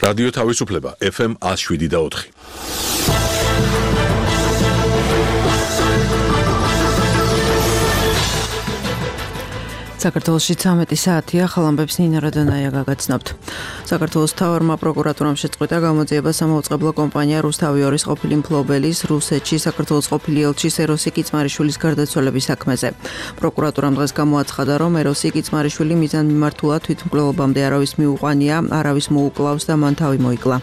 რადიო თავისუფლება FM 107.4. საქართველოში 13 საათია, ხალამბებს ნინა რადანაია გაგაცნობთ. საქართველოს მთავარმა პროკურატურამ შეწყვიტა გამოძიება სამაუწყებლო კომპანია რუსთავიორის ყოფილი მფლობელის, რუსეთში საქართველოს ყოფილი ელჩის ეროსი კიცმარიშვილის გარდაცვალების საქმეზე. პროკურატურამ დღეს გამოაცხადა, რომ ეროსი კიცმარიშვილი მიზანმიმართულად თვითმკვლელობამდე არავის მიუყვანია, არავის მოუკლავს და მან თავი მოიკლა.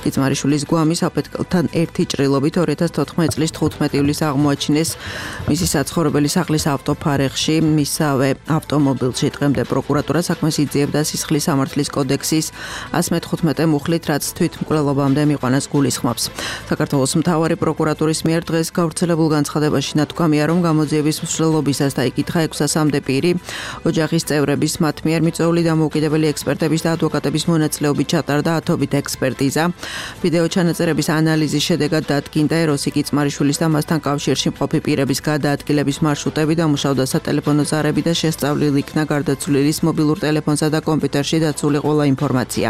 კიცმარიშვილის გვამის აფეთქელთან ერთი ჭრილობით 2014 წლის 15 ივლისს აღმოაჩინეს მისი საცხოვრებელი სახლის ავტოფარეხში, მისავე ავტომობილში. დღემდე პროკურატურა საქმეს იძიებდა სისხლის სამართლის კოდექსის 115 მუხლით, რაც თვითმკვლელობამდე მიყვანას გულისხმობს. საქართველოს მთავარი პროკურატურის მიერ დღეს გავრცელებულ განცხადებაში ნათქვამია, რომ გამოძიების მსვლელობისას დაიკითხა 600-მდე პირი, ოჯახის წევრების, მათ მიერ მიწვეული დამოუკიდებელი ექსპერტების და ადვოკატების მონაწილეობით ჩატარდა ათობით ექსპერტიზა. ვიდეო ჩანაწერების ანალიზის შედეგად დადგინდა ეროსი კიცმარიშვილის და მასთან კავშირში მყოფი პირების გადაადგილების მარშრუტები, დამუშავდა სატელეფონო ზარები და შესწავლილი იქნა გარდაცვლილის მობილურ ტელეფონსა და კომპიუტერში დაცული ყველა ინფორმაცია.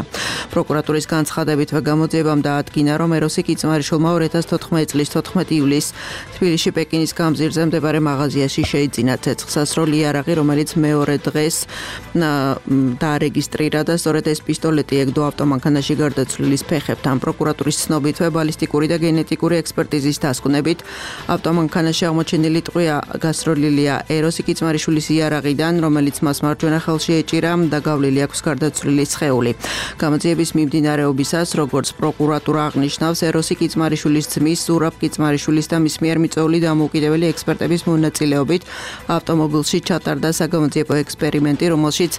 პროკურატურის განცხადებითვე გამოძიებამ დაადგინა, რომ ეროსი კიცმარიშვილმა 2014 წლის 14 ივლისს თბილისში პეკინის გამზირზე მდებარე მაღაზიაში შეიძინა ცეცხლსასროლი იარაღი, რომელიც მეორე დღეს დაარეგისტრირა და სწორედ ეს პისტოლეტი ეგდო ავტომანქანაში გარდაცვლილის ფეხებთან. პროკურატურის ცნობითვე ბალისტიკური და გენეტიკური ექსპერტიზის დასკვნებით ავტომანქანაში აღმოჩენილი ტყვია გასროლილია ეროსი კიცმარიშვილის იარაღიდან, რომელიც მას მარჯვენა ხელში ეჭირა და გავლილი აქვს გარდაცვლილი სხეული. გამოძიების მიმდინარეობისას, როგორც პროკურატურა აღნიშნავს, ეროსი კიცმარიშვილის ძმის, ზურაბ კიცმარიშვილის და მის მიერ მიწვეული დამოუკიდებელი ექსპერტების მონაწილეობით ავტომობილში ჩატარდა საგამოძიებო ექსპერიმენტი, რომელშიც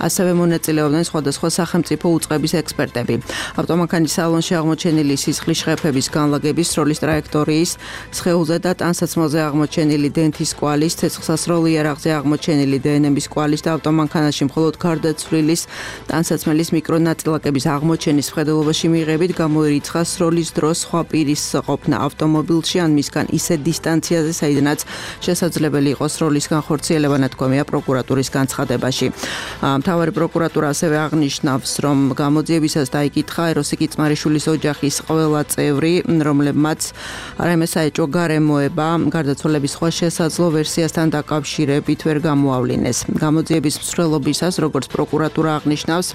ასევე მონაწილეობდნენ სხვადასხვა სახელმწიფო უწყების ექსპერტები. ავტომანქანის სალონში აღმოჩენილი სისხლის შეფების განლაგების, სროლის ტრაექტორიის, სხეულზე და ტანსაცმელზე აღმოჩენილი დენთის კვალის, ცეცხლსასროლ იარაღზე აღმოჩენილი დნმ-ის კვალის და ავტომანქანაში მხოლოდ გარდაცვლილის ტანსაცმელის მიკრონაწილაკების აღმოჩენის მხედველობაში მიღებით გამოირიცხა სროლის დროს სხვა პირის ყოფნა ავტომობილში ან მისგან ისეთ დისტანციაზე, საიდანაც შესაძლებელი იყო სროლის განხორციელება, ნათქვამია პროკურატურის განცხადებაში. მთავარი პროკურატურა ასევე აღნიშნავს, რომ გამოძიებისას დაიკითხა ეროსი კიცმარიშვილის ოჯახის ყველა წევრი, რომლებმაც რაიმე საეჭვო გარემოება გარდაცვალების სხვა შესაძლო ვერსიასთან დაკავშირებით ვერ გამოავლინეს. გამოძიების მსვლელობისას, როგორც პროკურატურა აღნიშნავს,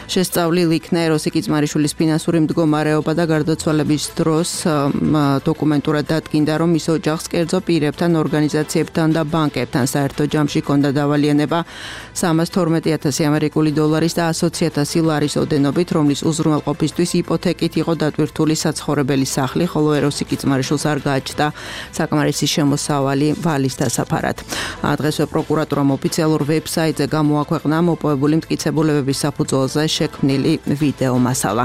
შესწავლილი იქნა ეროსი კიცმარიშვილის ფინანსური მდგომარეობა და გარდაცვალების დროს დოკუმენტურად დადგინდა, რომ მის ოჯახს კერძო პირებთან, ორგანიზაციებთან და ბანკებთან საერთო ჯამში ჰქონდა დავალიანება 312,000 ამერიკული დოლარის და 120,000 ლარის ოდენობით, რომლის უზრუნველყოფისთვის იპოთეკით იყო დატვირთული საცხოვრებელი სახლი, ხოლო ეროსი კიცმარიშვილს არ გააჩნდა საკმარისი შემოსავალი ვალის დასაფარად. დღესვე პროკურატურამ ოფიციალურ ვებსაიტზე გამოაქვეყნა მოპოვებული მტკიცებულებების საფუძველზე შექმნილი ვიდეო მასალა.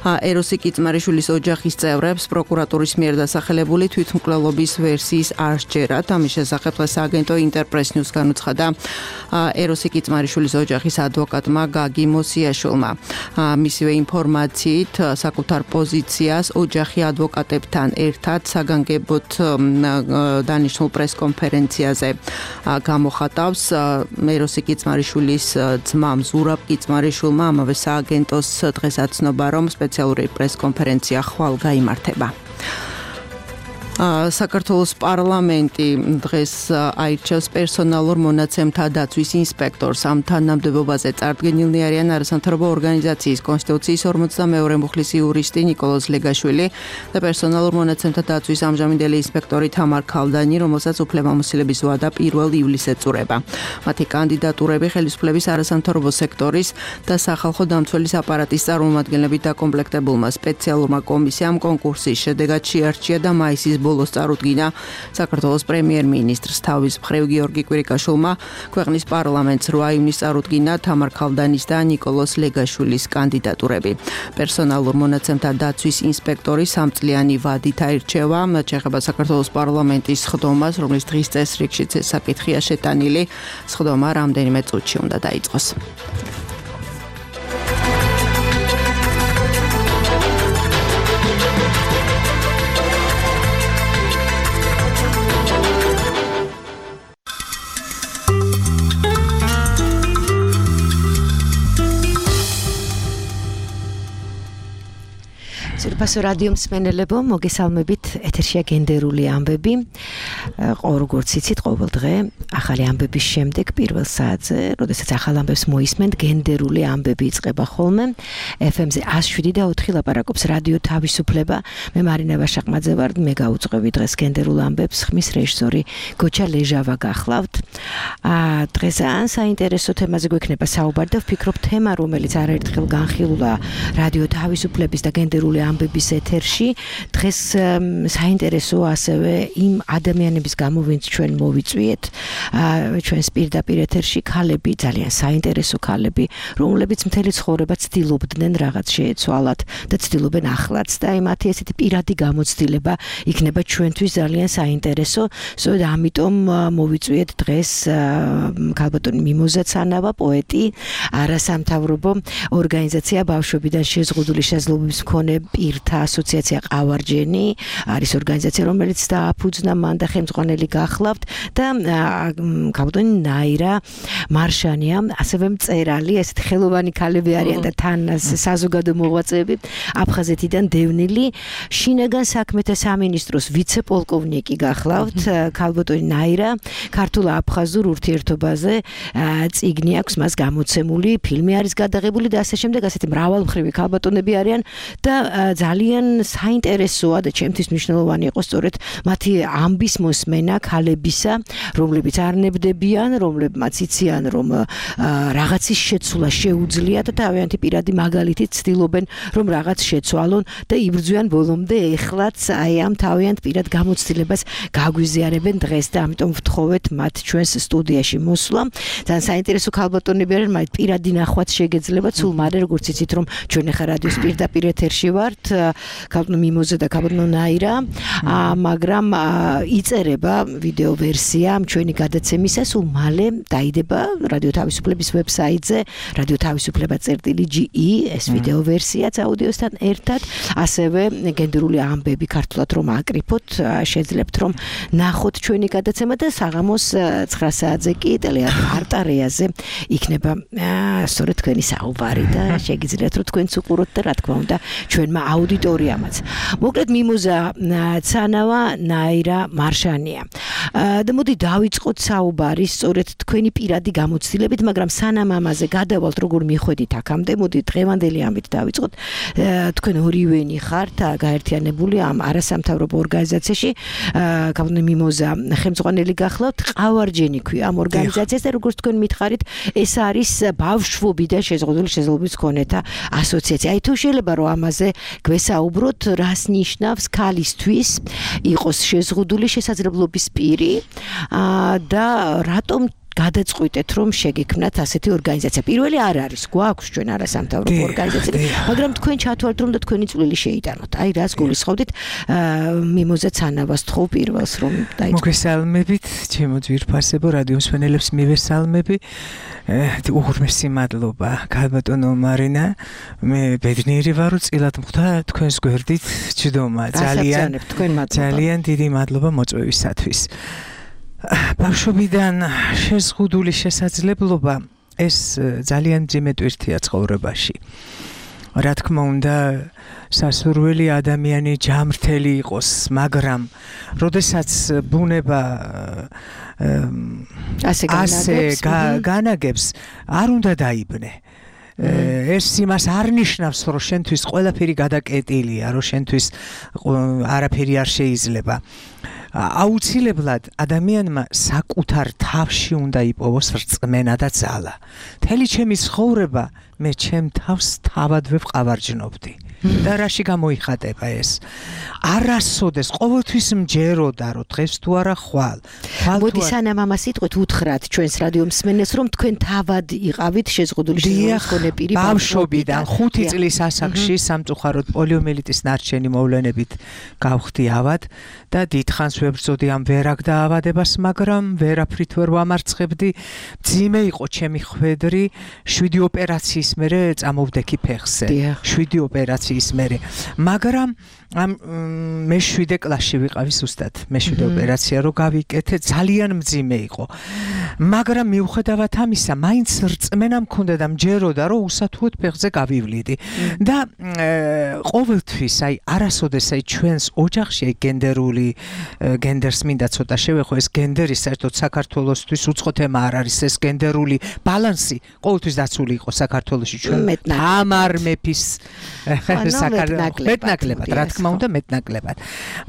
ეროსი კიცმარიშვილის ოჯახის წევრებს პროკურატურის მიერ დასახელებული თვითმკვლელობის ვერსიის არ სჯერათ. ამის შესახებ დღეს აგენტო ინტერპრეს ნიუს განუცხადა ეროსი კიცმარიშვილის ოჯახის ადვოკატმა გაგი მოსიაშვილმა. მისივე ინფორმაციით საკუთარ პოზიციას ოჯახი ადვოკატებთან ერთად საგანგებოდ დანიშნულ პრესკონფერენციაზე გამოხატავს. ეროსი კიცმარიშვილის ძმამ ზურაბ კიცმარიშვილმა ამავე სააგენტოს დღეს აცნობა, რომ სპეციალური პრესკონფერენცია ხვალ გაიმართება. საქართველოს პარლამენტი დღეს აირჩევს პერსონალურ მონაცემთა დაცვის ინსპექტორს. ამ თანამდებობაზე წარდგენილნი არიან არასამთავრობო ორგანიზაციის კონსტიტუციის 42 მუხლის იურისტი ნიკოლოზ ლეგაშვილი და პერსონალურ მონაცემთა დაცვის ამჟამინდელი ინსპექტორი თამარ ქალდანი, რომელსაც უფლებამოსილების ვადა 1 ივლისს ეწურება. მათი კანდიდატურები ხელისუფლების არასამთავრობო სექტორის და სახალხო დამცველის აპარატის წარმომადგენლებით დაკომპლექტებულმა სპეციალურმა კომისიამ კონკურსის შედეგად შეარჩია და მაისის ბოლოს წარუდგინა საქართველოს პრემიერ-მინისტრს. თავის მხრივ გიორგი კვირიკაშვილმა ქვეყნის პარლამენტს 8 ივნისს წარუდგინა თამარ ქალდანის და ნიკოლოზ ლეგაშვილის კანდიდატურები. პერსონალურ მონაცემთა დაცვის ინსპექტორი 3 წლიანი ვადით აირჩევა. შეეხება საქართველოს პარლამენტის სხდომას, რომლის დღის წესრიგშიც ეს საკითხია შეტანილი. სხდომა რამდენიმე წუთში უნდა დაიწყოს. ძვირფასო რადიო მსმენელებო, მოგესალმებით, ეთერშია გენდერული ამბები. როგორც იცით, ყოველ დღე ახალი ამბების შემდეგ პირველ საათზე, როდესაც ახალ ამბებს მოისმენთ, გენდერული ამბები იწყება ხოლმე. FM-ზე 107.4 ლაპარაკობს რადიო თავისუფლება. მე მარინა ვაშაყმაძე ვარ, მე გაუძღვევი დღეს გენდერულ ამბებს, ხმის რეჟისორი გოჩა ლეჟავა გახლავთ. დღეს ან საინტერესო თემაზე გვექნება საუბარი და ვფიქრობ თემა, რომელიც არაერთხელ განხილულა რადიო თავისუფლების და გენდერული ამბების ეთერში. დღეს საინტერესო ასევე იმ ადამიანების გამო, ვინც ჩვენ მოვიწვიეთ ჩვენს პირდაპირ ეთერში, ქალები, ძალიან საინტერესო ქალები, რომლებიც მთელი ცხოვრება ცდილობდნენ რაღაც შეეცვალათ და ცდილობენ ახლაც და მათი ესეთი პირადი გამოცდილება იქნება ჩვენთვის ძალიან საინტერესო. სწორედ ამიტომ მოვიწვიეთ დღეს ქალბატონი მიმოზა ცანავა, პოეტი, არასამთავრობო ორგანიზაცია ბავშვებიდან შეზღუდული შესაძლებლობის მქონე პირთა ასოციაცია ყავარჯენი არის ორგანიზაცია, რომელიც დააფუძნა მან და ხელმძღვანელი გახლავთ და ქალბატონი ნაირა მარშანია, ასევე მწერალი, ესეთი ხელოვანი ქალები არიან და თან საზოგადო მოღვაწეები, აფხაზეთიდან დევნილი, შინაგან საქმეთა სამინისტროს ვიცე-პოლკოვნიკი გახლავთ, ქალბატონი ნაირა, ქართულ-აფხაზურ ურთიერთობაზე წიგნი აქვს მას გამოცემული, ფილმი არის გადაღებული და ასე შემდეგ, ასეთი მრავალმხრივი ქალბატონები არიან და ძალიან საინტერესოა და ჩემთვის მნიშვნელოვანი იყო სწორედ მათი ამბის მოსმენა ქალებისა, რომლებიც არნებდებიან, რომლებმაც იციან, რომ რაღაცის შეცვლა შეუძლიათ და თავიანთი პირადი მაგალითით ცდილობენ, რომ რაღაც შეცვალონ და იბრძვიან ბოლომდე, ეხლაც აი ამ თავიანთ პირად გამოცდილებას გაგვიზიარებენ დღეს და ამიტომ ვთხოვეთ მათ ჩვენს სტუდიაში მოსვლა. ძალიან საინტერესო ქალბატონები არიან, მათ პირადი ნახვაც შეგეძლებათ, სულ მალე როგორც იცით, რომ ჩვენ ახლა რადიოს პირდაპირ ეთერში ვართ, ქალბატონი მიმოზა და ქალბატონი ნაირა, მაგრამ იწერება ვიდეო ვერსია ჩვენი გადაცემისა, სულ მალე დაიდება რადიო თავისუფლების ვებსაიტზე, რადიო თავისუფლება.ge, ეს ვიდეო ვერსიაც აუდიოსთან ერთად, ასევე გენდერული ამბები ქართულად რომ აკრიფოთ, შეძლებთ რომ ნახოთ ჩვენი გადაცემა და საღამოს 9 საათზე კი ტელეარტარეაზე იქნება სწორედ თქვენი საუბარი და შეგიძლიათ რომ თქვენც უყუროთ და რა თქმა უნდა ჩვენმა აუდიტორიამაც. მოკლედ მიმოზა ცანავა, ნაირა მარშანია. და მოდი დავიწყოთ საუბარი სწორედ თქვენი პირადი გამოცდილებით, მაგრამ სანამ ამაზე გადავალთ, როგორ მიხვედით აქამდე, მოდი დღევანდელი ამით დავიწყოთ. თქვენ ორივენი ხართ გაერთიანებული ამ არასამთავრობო ორგანიზაციაში, ქალბატონი მიმოზა ხელმძღვანელი გახლავთ, ყავარჯენი ქვია ამ ორგანიზაციას და როგორც თქვენ მითხარით, ეს არის ბავშვობიდან შეზღუდული შესაძლებლობის მქონეთა ასოციაცია. აი თუ შეიძლება რომ ამაზე გვესაუბროთ, რას ნიშნავს ქალისთვის იყოს შეზღუდული შესაძლებლობის პირი და რატომ გადაწყვიტეთ რომ შეგექმნათ ასეთი ორგანიზაცია. პირველი არ არის, გვაქვს ჩვენ არასამთავრობო ორგანიზაცია, მაგრამ თქვენ ჩათვალეთ რომ და თქვენი წვლილი შეიტანოთ. აი რას გულისხმობთ მიმოზა ცანავას თხოვ პირველს რომ დაიწყოთ. მოგესალმებით, ჩემო ძვირფასებო რადიო მსმენელებს მივესალმები. უღრმესი მადლობა ქალბატონო მარინა, მე ბედნიერი ვარ რომ წილად მხვდა თქვენს გვერდით ჯდომა. ძალიან დიდი მადლობა მოწვევისათვის. ბავშვობიდან შეზღუდული შესაძლებლობა ეს ძალიან მძიმე ტვირთია ცხოვრებაში. რა თქმა უნდა, სასურველი ადამიანი ჯამრთელი იყოს, მაგრამ როდესაც ბუნება ასე განაგებს, არ უნდა დაიბნე. ეს იმას არ ნიშნავს, რომ შენთვის ყველაფერი გადაკეტილია, რომ შენთვის არაფერი არ შეიძლება. აუცილებლად ადამიანმა საკუთარ თავში უნდა იპოვოს რწმენა და ძალა. მთელი ჩემი ცხოვრება მე ჩემ თავს თავადვე ვყავარჯნობდი. და რაში გამოიხატება ეს? არასოდეს ყოველთვის მჯეროდა რომ დღეს თუ არა ხვალ. მოდი სანამ ამას იტყვით, უთხრათ ჩვენს რადიო მსმენელს რომ თქვენ თავად იყავით შეზღუდული შესაძლებლობის მქონე პირი ბავშვობიდან 5 წლის ასაკში სამწუხაროდ პოლიომიელიტის ნარჩენი მოვლენებით გავხდი ავად და დიდხანს ვებრძოდი ამ ვერაგ დაავადებას, მაგრამ ვერაფრით ვერ ვამარცხებდი. მძიმე იყო ჩემი ხვედრი, 7 ოპერაციის ოპერაციის მერე წამოვდექი ფეხზე 7 ოპერაციის მერე მაგრამ ამ მე-7 კლასში ვიყავი ზუსტად მე-7 ოპერაცია რო გავიკეთე ძალიან მძიმე იყო მაგრამ მიუხედავად ამისა მაინც რწმენა მქონდა და მჯეროდა რომ უსათუოდ ფეხზე გავივლიდი და ყოველთვის აი არასოდეს აი ჩვენს ოჯახში აი გენდერს მინდა ცოტა შევეხო ეს გენდერი საერთოდ საქართველოსთვის უცხო თემა არ არის ეს გენდერული ბალანსი ყოველთვის დაცული იყო საქართველოში ჩვენ თამარ მეფის მეტნაკლებად რა თქმა უნდა მეტნაკლებად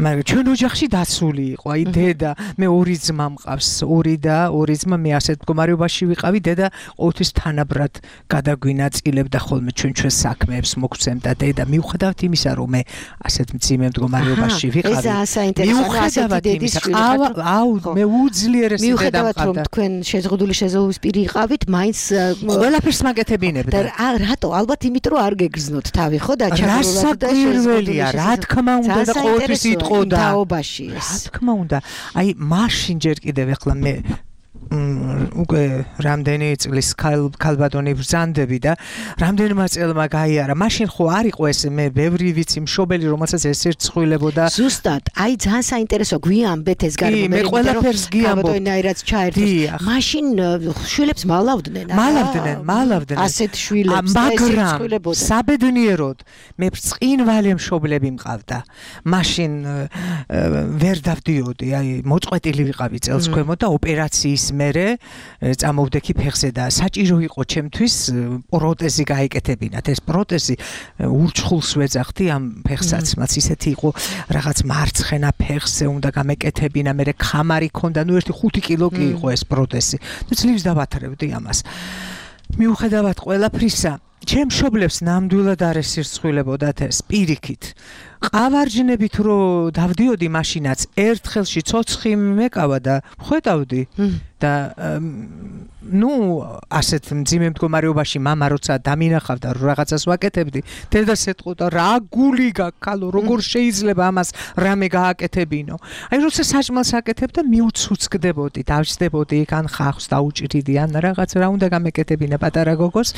მაგრამ ჩვენ ოჯახში დაცული იყო აი დედა მე 2 ძმა მყავს 2 ძმა მე ასეთ მდგომარეობაში ვიყავი დედა ყოველთვის თანაბრად გადაგვინაწილებდა ხოლმე ჩვენს საქმეებს მოგცემდა დედა მიუხედავად იმისა რომ მე ასეთ მძიმე მდგომარეობაში ვიყავი მიუხედავად იმისა მე უძლიერესი დედა მყავდა რომ თქვენ შეზღუდული შეზღუდვის პირი იყავით მაინც ყველაფერს მაგეთებინებდა და რატო ალბათ იმიტომ რომ არ გეგრძნოთ თავი ხო და ჩაგრულად და შეზღუდულია რა თქმა უნდა და ყოველთვის იტყოდა თაობაში ეს რა თქმა უნდა აი მაშინ ჯერ კიდევ ახლა მე უკვე რამდენი წლის ქალბატონი ბრძანდები და რამდენმა წელმა გაიარა მაშინ ხო არ იყო ეს მე ბევრი ვიცი მშობელი რომელსაც ეს ერთხვილებოდა ზუსტად აი ძალიან საინტერესო გვიამბეთ ეს გარემო მე ყველაფერს გიამბობ ქალბატონაირად ჩაერთოს მაშინ შვილებს მალავდნენ ასეთ შვილებს და ეს ერთხვილებოდა საბედნიეროდ მე ბრწყინვალე მშობლები მყავდა მაშინ ვერ დავდიოდი აი მოწყვეტილი ვიყავი წელს ქვემოთ და ოპერაციის მერე წამოვდექი ფეხზე და საჭირო იყო ჩემთვის პროტეზი გაეკეთებინათ ეს პროტეზი ურჩხულს ვეძახდი ამ ფეხსაცმლად ისეთი იყო რაღაც მარცხენა ფეხზე უნდა გამეკეთებინა მე ხამარი ქონდა ნუ 1-5 კილო კი იყო ეს პროტეზი და ძლივს დავათრევდი ამას მიუხედავად ყველაფრისა ჩემ მშობლებს ნამდვილად არ ესირცხვილებოდათ ეს პირიქით ყავარჯნებით რო დავდიოდი მაშინაც ერთ ხელში ცოცხი მეკავა და ხვედავდი და ნუ ასეთ მძიმე მდგომარეობაში მამა როცა დამინახავდა რომ რაღაცას ვაკეთებდი დედას ეთყოდა რა გული გაქალო როგორ შეიძლება ამას რამე გააკეთებინო აი როცა საჭმელს აკეთებდა მიუცუცკდებოდი დავჯდებოდი იქ ან ხახს დაუჭრიდი ან რაღაც რა უნდა გამეკეთებინა პატარა გოგოს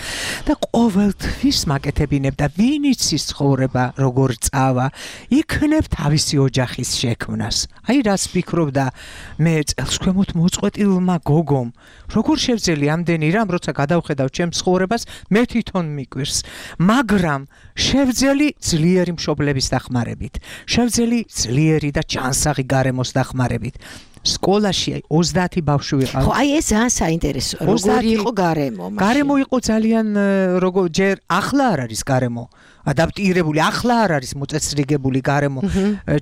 და ყოველთვის მაკეთებინებ და ვინ იცის ცხოვრება როგორ წავა იქნებ თავისი ოჯახის შექმნას აი რას ფიქრობდა მე წელს ქვემოთ მოწყვეტილმა გოგომ როგორ შევძელი ამდენი რამ როცა გადავხედავ ჩემს ცხოვრებას მე თვითონ მიკვირს მაგრამ შევძელი ძლიერი მშობლების დახმარებით შევძელი ძლიერი და ჯანსაღი გარემოს დახმარებით სკოლაში 30 ბავშვი ვიყავ ხო აი ეს ძალიან საინტერესოა როგორი იყო გარემო იყო ძალიან როგორ ჯერ ახლა არ არის გარემო ადაპტირებული ახლა არ არის მოწესრიგებული გარემო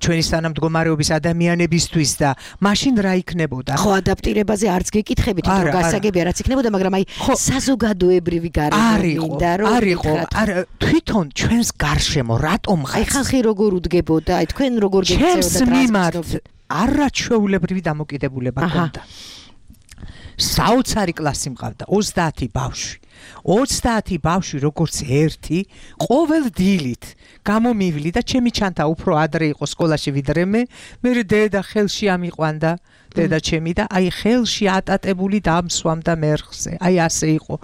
ჩვენი თანამდგომარეობის ადამიანებისთვის და მაშინ რა იქნებოდა ხო ადაპტირებაზე არც გეკითხებით რომ გასაგებია რაც იქნებოდა მაგრამ აი საზოგადოებრივი გარემო მინდა რომ არა თვითონ ჩვენს გარშემო რატომ ხარ აი ხალხი როგორ უდგებოდა აი თქვენ როგორ გექცეოდა არაჩვეულებრივი დამოკიდებულება ჰქონდა საოცარი კლასი მყავდა 30 ბავშვი 30 ბავშვი როგორც ერთი ყოველ დილით გამომივლი და ჩემი ჩანთა უფრო ადრე იყო სკოლაში ვიდრე მე დედა ხელში ამიყვანდა დედა ჩემი და აი ხელში ატატებული დამსვამდა მერხზე აი ასე იყო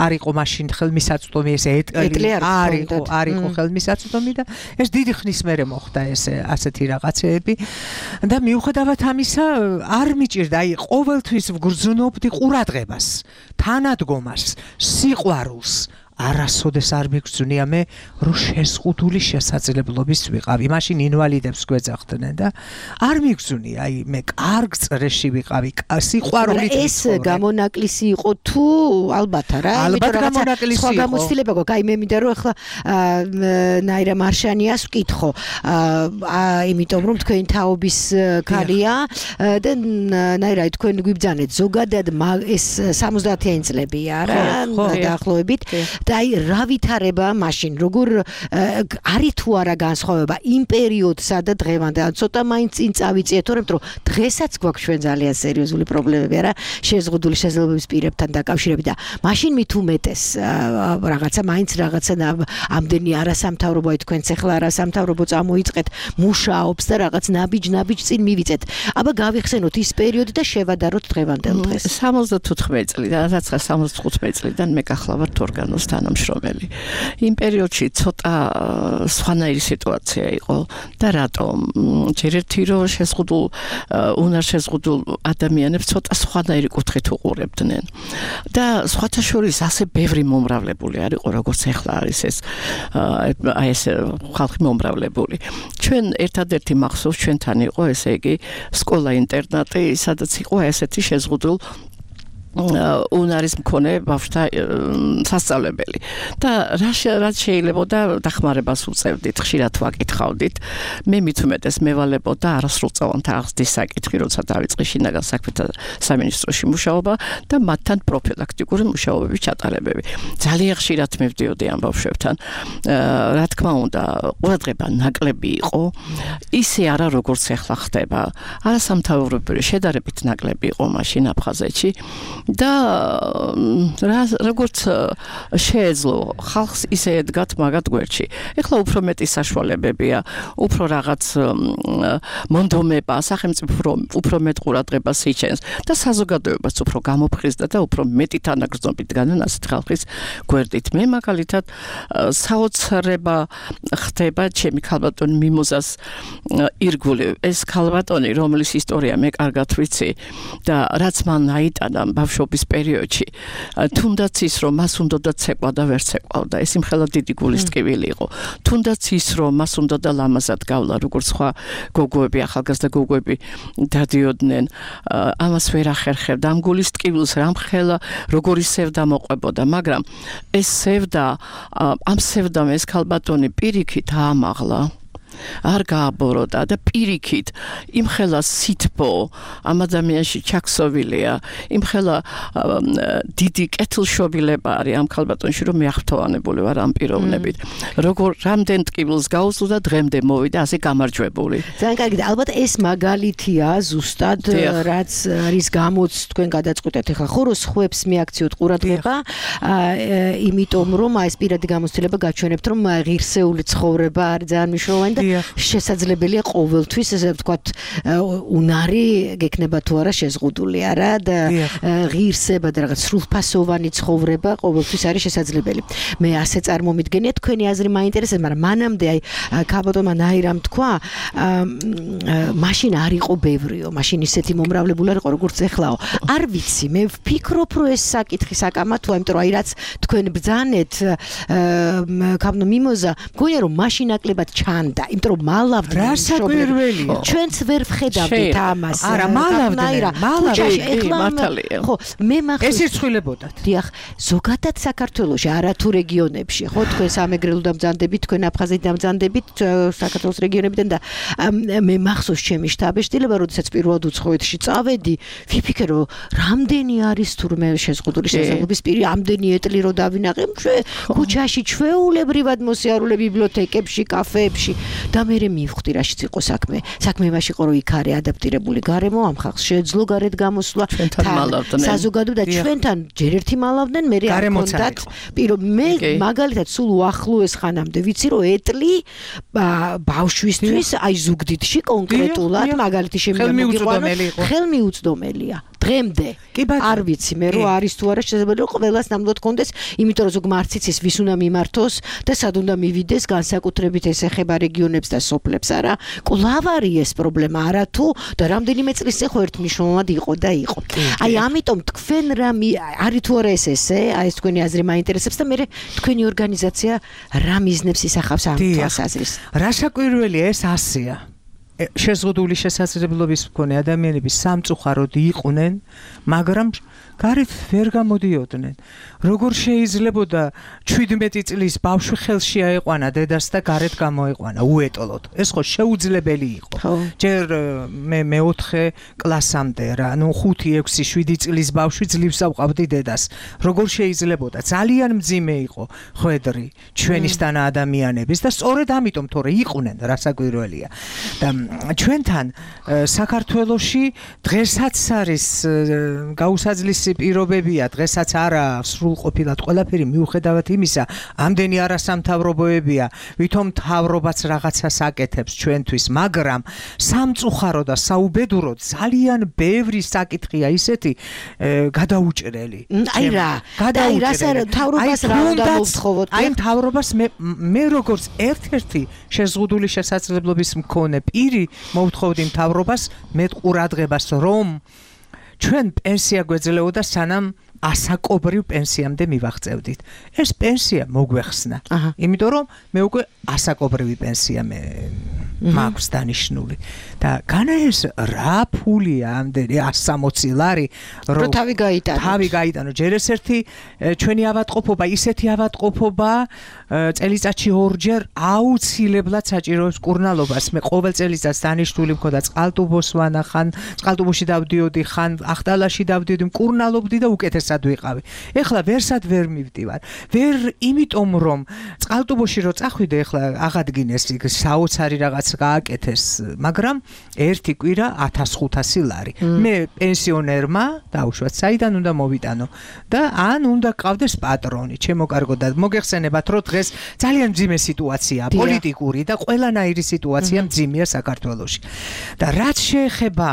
არ იყო მაშინ ხელმისაწვდომი ეს ეტლი არ იყო ხელმისაწვდომი და ეს დიდი ხნის მერე მოხდა ეს ასეთი რაღაცეები და მიუხედავად ამისა არ მიჭირდა აი ყოველთვის ვგრძნობდი ყურადღებას თანადგომას სიყვარულს არასოდეს არ მიგრძნია მე რომ შეზღუდული შესაძლებლობის ვიყავი მაშინ ინვალიდებს გვეძახდნენ და არ მიგრძნია აი მე კარგ წრეში ვიყავი სიყვარულით ეს გამონაკლისი იყო თუ ალბათ არა ალბათ გამონაკლისი იყო სხვა გამოცდილება გვაქვს აი მე მინდა რომ ახლა ნაირა მარშანიას ვკითხო იმიტომ რომ თქვენი თაობის ქალია და ნაირა თქვენ გვიბძანეთ ზოგადად ეს 70-იანი წლებია რა დაახლოებით და აი რა ვითარება მაშინ როგორ არის თუ არა განსხვავება იმ პერიოდსა და დღევანდელ ცოტა მაინც წინ წავიწიეთ თორემ რომ დღესაც გვაქვს ჩვენ ძალიან სერიოზული პრობლემები არა შეზღუდული შესაძლებლობის პირებთან დაკავშირებით და მაშინ მით უმეტეს რაღაცა მაინც რაღაცა ამდენი არასამთავრობო აი თქვენც ახლა არასამთავრობო წამოიწყეთ მუშაობს და რაღაც ნაბიჯ წინ მივიწეთ აბა გავიხსენოთ ის პერიოდი და შევადაროთ დღევანდელ დღეს 75 წლიდან რაც 75 წლიდან მე გახლავართ ორგანოსთან თანამშრომელი. იმ პერიოდში ცოტა სხვანაირი სიტუაცია იყო და რატომ? ჯერ ერთი რომ შეზღუდულ უნარშეზღუდულ ადამიანებს ცოტა სხვანაირი კუთხით უყურებდნენ. და სხვათა შორის ასე ბევრი მომრავლებული არ იყო, როგორც ახლა არის ეს აი ეს ხალხი მომრავლებული. ჩვენ ერთადერთი მახსოვს ჩვენთან იყო, ესე იგი, სკოლა-ინტერნატი, სადაც იყო ესეთი შეზღუდულ უნარის მქონე ბავშვთა სასწავლებელი და რაც შეიძლებოდა დახმარებას უწევდით, ხშირად ვაკითხავდით. მე მით უმეტეს მევალებოდა არასრულწლოვან თანხმობის საკითხი, როცა დავიწყე შინაგან საქმეთა სამინისტროში მუშაობა და მათთან პროფილაქტიკური მუშაობების ჩატარებები. ძალიან ხშირად მივდიოდი ამ ბავშვებთან. რა თქმა უნდა, ყურადღება ნაკლები იყო, ისე არა როგორც ახლა ხდება. არასამთავრობო შედარებით ნაკლები იყო მაშინ აფხაზეთში. და როგორც შეეძლო ხალხს ისე ედგათ მაგათ გვერდში. ეხლა უფრო მეტი საშუალებებია, უფრო რაღაც მონდომება, სახელმწიფო უფრო მეტ ყურადღებას იჩენს და საზოგადოებას უფრო გამოფხიზდა და უფრო მეტი თანაგრძნობით განან ასეთ ხალხის გვერდით. მე მაგალითად საოცრება ხდება ჩემი ქალბატონი მიმოზას ირგული. ეს ქალბატონი, რომლის ისტორია მე კარგად ვიცი და რაც მან აიტანა ბავშვობის პერიოდში, თუნდაც ის რომ მას უნდოდა ცეკვა და ვერ ცეკვავდა, ეს იმხელა დიდი გულის ტკივილი იყო. თუნდაც ის რომ მას უნდოდა ლამაზად გავლა, როგორც სხვა გოგოები, ახალგაზრდა გოგოები დადიოდნენ, ამას ვერ ახერხებდა. ამ გულის ტკივილს რამხელა როგორი სევდა მოყვებოდა, მაგრამ ეს სევდა, ამ სევდამ ეს ქალბატონი პირიქით აამაღლა. არ გააბოროტა და პირიქით იმხელა სითბო ამ ადამიანში ჩაქსოვილია, იმხელა დიდი კეთილშობილება არის ამ ქალბატონში, რომ მეახმოვანებული ვარ ამ პიროვნებით. როგორ რამდენ ტკივილს გაუსწრო და დღემდე მოვიდა ასე გამარჯვებული. ძალიან კარგი და ალბათ ეს მაგალითია ზუსტად რაც არის გამოც თქვენ გადაწყვეტეთ ახლა ხო რომ სხვებს მიაქციოთ ყურადღება, იმიტომ რომ ეს პირადი გამოცდილება გაჩვენებთ რომ ღირსეული ცხოვრება არის ძალიან მნიშვნელოვანი და შესაძლებელია ყოველთვის ესე ვთქვათ უნარი გექნება თუ არა შეზღუდული არა და ღირსება და რაღაც სრულფასოვანი ცხოვრება ყოველთვის არის შესაძლებელი. მე ასე წარმომიდგენია თქვენი აზრი მაინტერესებს, მაგრამ მანამდე აი ქალბატონმა ნაირამ თქვა მაშინ არ იყო ბევრიო, მაშინ ისეთი მომრავლებული არ იყო როგორც ეხლაო. არ ვიცი, მე ვფიქრობ რომ ეს საკითხი საკამათოა, იმიტომ რომ აი რაც თქვენ ბრძანეთ ქაბნო მიმოზა, მგონია რომ მაშინ ნაკლებად ჩანდა, იმიტომ რომ მალავდნენ რასაკვირველია. ჩვენც ვერ ვხედავდით ამას. არა, მალავდნენ. ხო, მე მახსოვს. ეს ირცხვილებოდათ. დიახ, ზოგადად საქართველოში, არა თუ რეგიონებში, ხო, თქვენ სამეგრელო დამძანდებით, თქვენ აფხაზეთ დამძანდებით საქართველოს რეგიონებიდან და მე მახსოვს ჩემი შტაბეშტილება, როდესაც პირველად უცხოეთში წავედი, ვიფიქრე რომ რამდენი არის თურმე შეზღუდული შესაძლებლობის პირი, ამდენი ეტლი რო დავინახე, ქუჩაში ჩვეულებრივად მოსიარულე ბიბლიოთეკებში, კაფეებში და მე მივხვდი რაშიც იყო საქმე. საქმე იმაში იყო რომ იქ არის ადაპტირებული გარემო, ამ ხალხს შეეძლო გარეთ გამოსვლა, საზოგადო და ჩვენთან ჯერ ერთი მალავდნენ, მე არ კონდათ მე მაგალითად სულ უახლოეს ხანამდე ვიცი რომ ეტლი ბავშვისთვის აი ზუგდიდში კონკრეტულად მაგალითი შემიძლია ხელმიუწვდომელია. დღემდე არ ვიცი მე რომ არის თუ არა შესაძლებელი რომ ყველას ნამდვილად კონდეს, იმიტომ რომ ზოგ მარციცის ვის უნდა მიმართოს და სად უნდა მივიდეს, განსაკუთრებით ეს ეხება რეგიონებს და სოფლებს არა. კვლავ არის ეს პრობლემა არა თუ და რამდენიმე წლის წინ ხო ერთმნიშვნელოვნად იყო და იყო. აი ამიტომ თქვენ რა არის თუ არა ეს ესე, აი ეს თქვენი აზრი მაინტერესებს და მე თქვენი ორგანიზაცია რა მიზნებს ისახავს ამ თვალსაზრისით. რა საკვირველია ეს ასეა. შეზღუდული შესაძლებლობის მქონე ადამიანები სამწუხაროდ იყვნენ, მაგრამ გარეთ ვერ გამოდიოდნენ. როგორ შეიძლებოდა 17 წლის ბავშვი ხელში აეყვანა დედას და გარეთ გამოეყვანა უეტოლოდ. ეს ხო შეუძლებელი იყო. ჯერ მე მეოთხე კლასამდე რა, ნუ 5, 6, 7 წლის ბავშვი ძლივს ავყავდი დედას. როგორ შეიძლებოდა? ძალიან მძიმე იყო ხვედრი ჩვენისთანა ადამიანების და სწორედ ამიტომ თორე იყვნენ, რა საკვირველია. და ჩვენთან საქართველოში დღესაც არის გაუსაძლისი პირობებია, დღესაც არა სრულყოფილად ყველაფერი მიუხედავად იმისა, ამდენი არასამთავრობოებია, ვითომ მთავრობაც რაღაცას აკეთებს ჩვენთვის, მაგრამ სამწუხარო და საუბედუროდ ძალიან ბევრი საკითხია ისეთი გადაუჭრელი. აი რა, მთავრობას რა უნდა მოვთხოვოთ? აი მთავრობას მე როგორც ერთ-ერთი შეზღუდული შესაძლებლობის მქონე პირი მოვთხოვდი მთავრობას მეტ ყურადღებას, რომ ჩვენ პენსია გვეძლეოდა სანამ ასაკობრივ პენსიამდე მივაღწევდით. ეს პენსია მოგვეხსნა. იმიტომ რომ მე უკვე ასაკობრივი პენსია მაქვს დანიშნული. და განა ეს რა ფულია ამდენი 160 ლარი რომ თავი გაიტანო. ჯერ ეს ერთი ჩვენი ავადმყოფობა, ისეთი ავადმყოფობა წელიწადში ორჯერ აუცილებლად საჭიროებს კურნალობას. მე ყოველ წელიწადს დანიშნული მქონდა წყალტუბოს ვანახან, წყალტუბოში დავდიოდი, ხან ახტალაში დავდიოდი, კურნალობდი და უკეთესად ვიყავი. ეხლა ვერსად ვერ მივდივარ. ვერ იმიტომ რომ წყალტუბოში რო წახვიდე, ეხლა აღადგინეს იქ საოცარი რაღაც გააკეთეს, მაგრამ ერთი კვირა 1500 ლარი. მე პენსიონერმა დავუშვათ, საიდან უნდა მოვიტანო და ან უნდა გყავდეს პატრონი, ჩემო კარგო და მოგეხსენებათ, რომ დღეს ძალიან მძიმე სიტუაციაა, პოლიტიკური და ყველანაირი სიტუაცია მძიმეა საქართველოში. და რაც შეეხება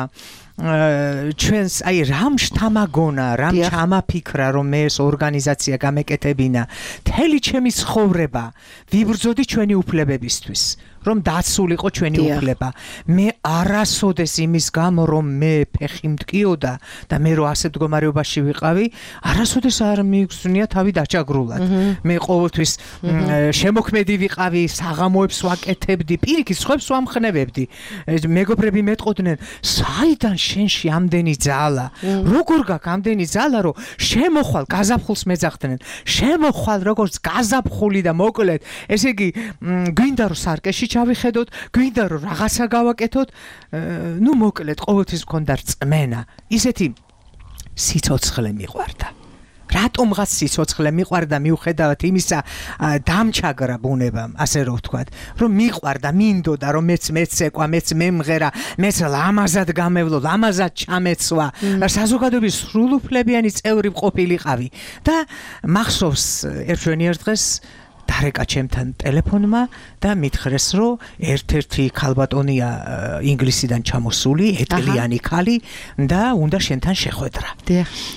ჩვენს აი რამ შთამაგონა, რამ ჩამაფიქრა, რომ მე ეს ორგანიზაცია გამეკეთებინა, მთელი ჩემი ცხოვრება ვიბრძოდი ჩვენი უფლებებისთვის. რომ დაცულიყო ჩვენი უფლება. მე არასოდეს იმის გამო რომ მე ფეხი მტკიოდა და მე რო ასეთ მდგომარეობაში ვიყავი, არასოდეს არ მიგზნია თავი დაჭაგრულად. მე ყოველთვის შემოქმედი ვიყავი, საღამოებს ვაკეთებდი, პირიქით სხვებს ვამხნევებდი. მეგობრები მეტყოდნენ, საიდან შენში ამდენი ძალა? როგორ გაქვს ამდენი ძალა, რომ შემოხვალ გაზაფხულს მეძახდნენ. შემოხვალ როგორც გაზაფხული და მოკლედ, ესე იგი გვინდა რომ სარკეში ჩავიხედოთ, გვინდა რომ რაღაცა გავაკეთოთ, ნუ მოკლედ ყოველთვის მქონდა რწმენა, ისეთი სიცოცხლე მიყვარდა. რატომღაც სიცოცხლე მიყვარდა მიუხედავად იმისა დამჩაგრა ბუნებამ, ასე რომ ვთქვათ, რომ მიყვარდა, მინდოდა რომ მეც მეცეკვა, მეც მემღერა, მეც ლამაზად გამევლო, ლამაზად ჩამეცვა, საზოგადოების სრულუფლებიანი წევრი ყოფილიყავი და მახსოვს ერთ დღეს დარეკა ჩემთან ტელეფონმა და მითხრეს, რომ ერთ-ერთი ქალბატონია ინგლისიდან ჩამოსული, ეტლიანი ქალი და უნდა შენთან შეხვედრა.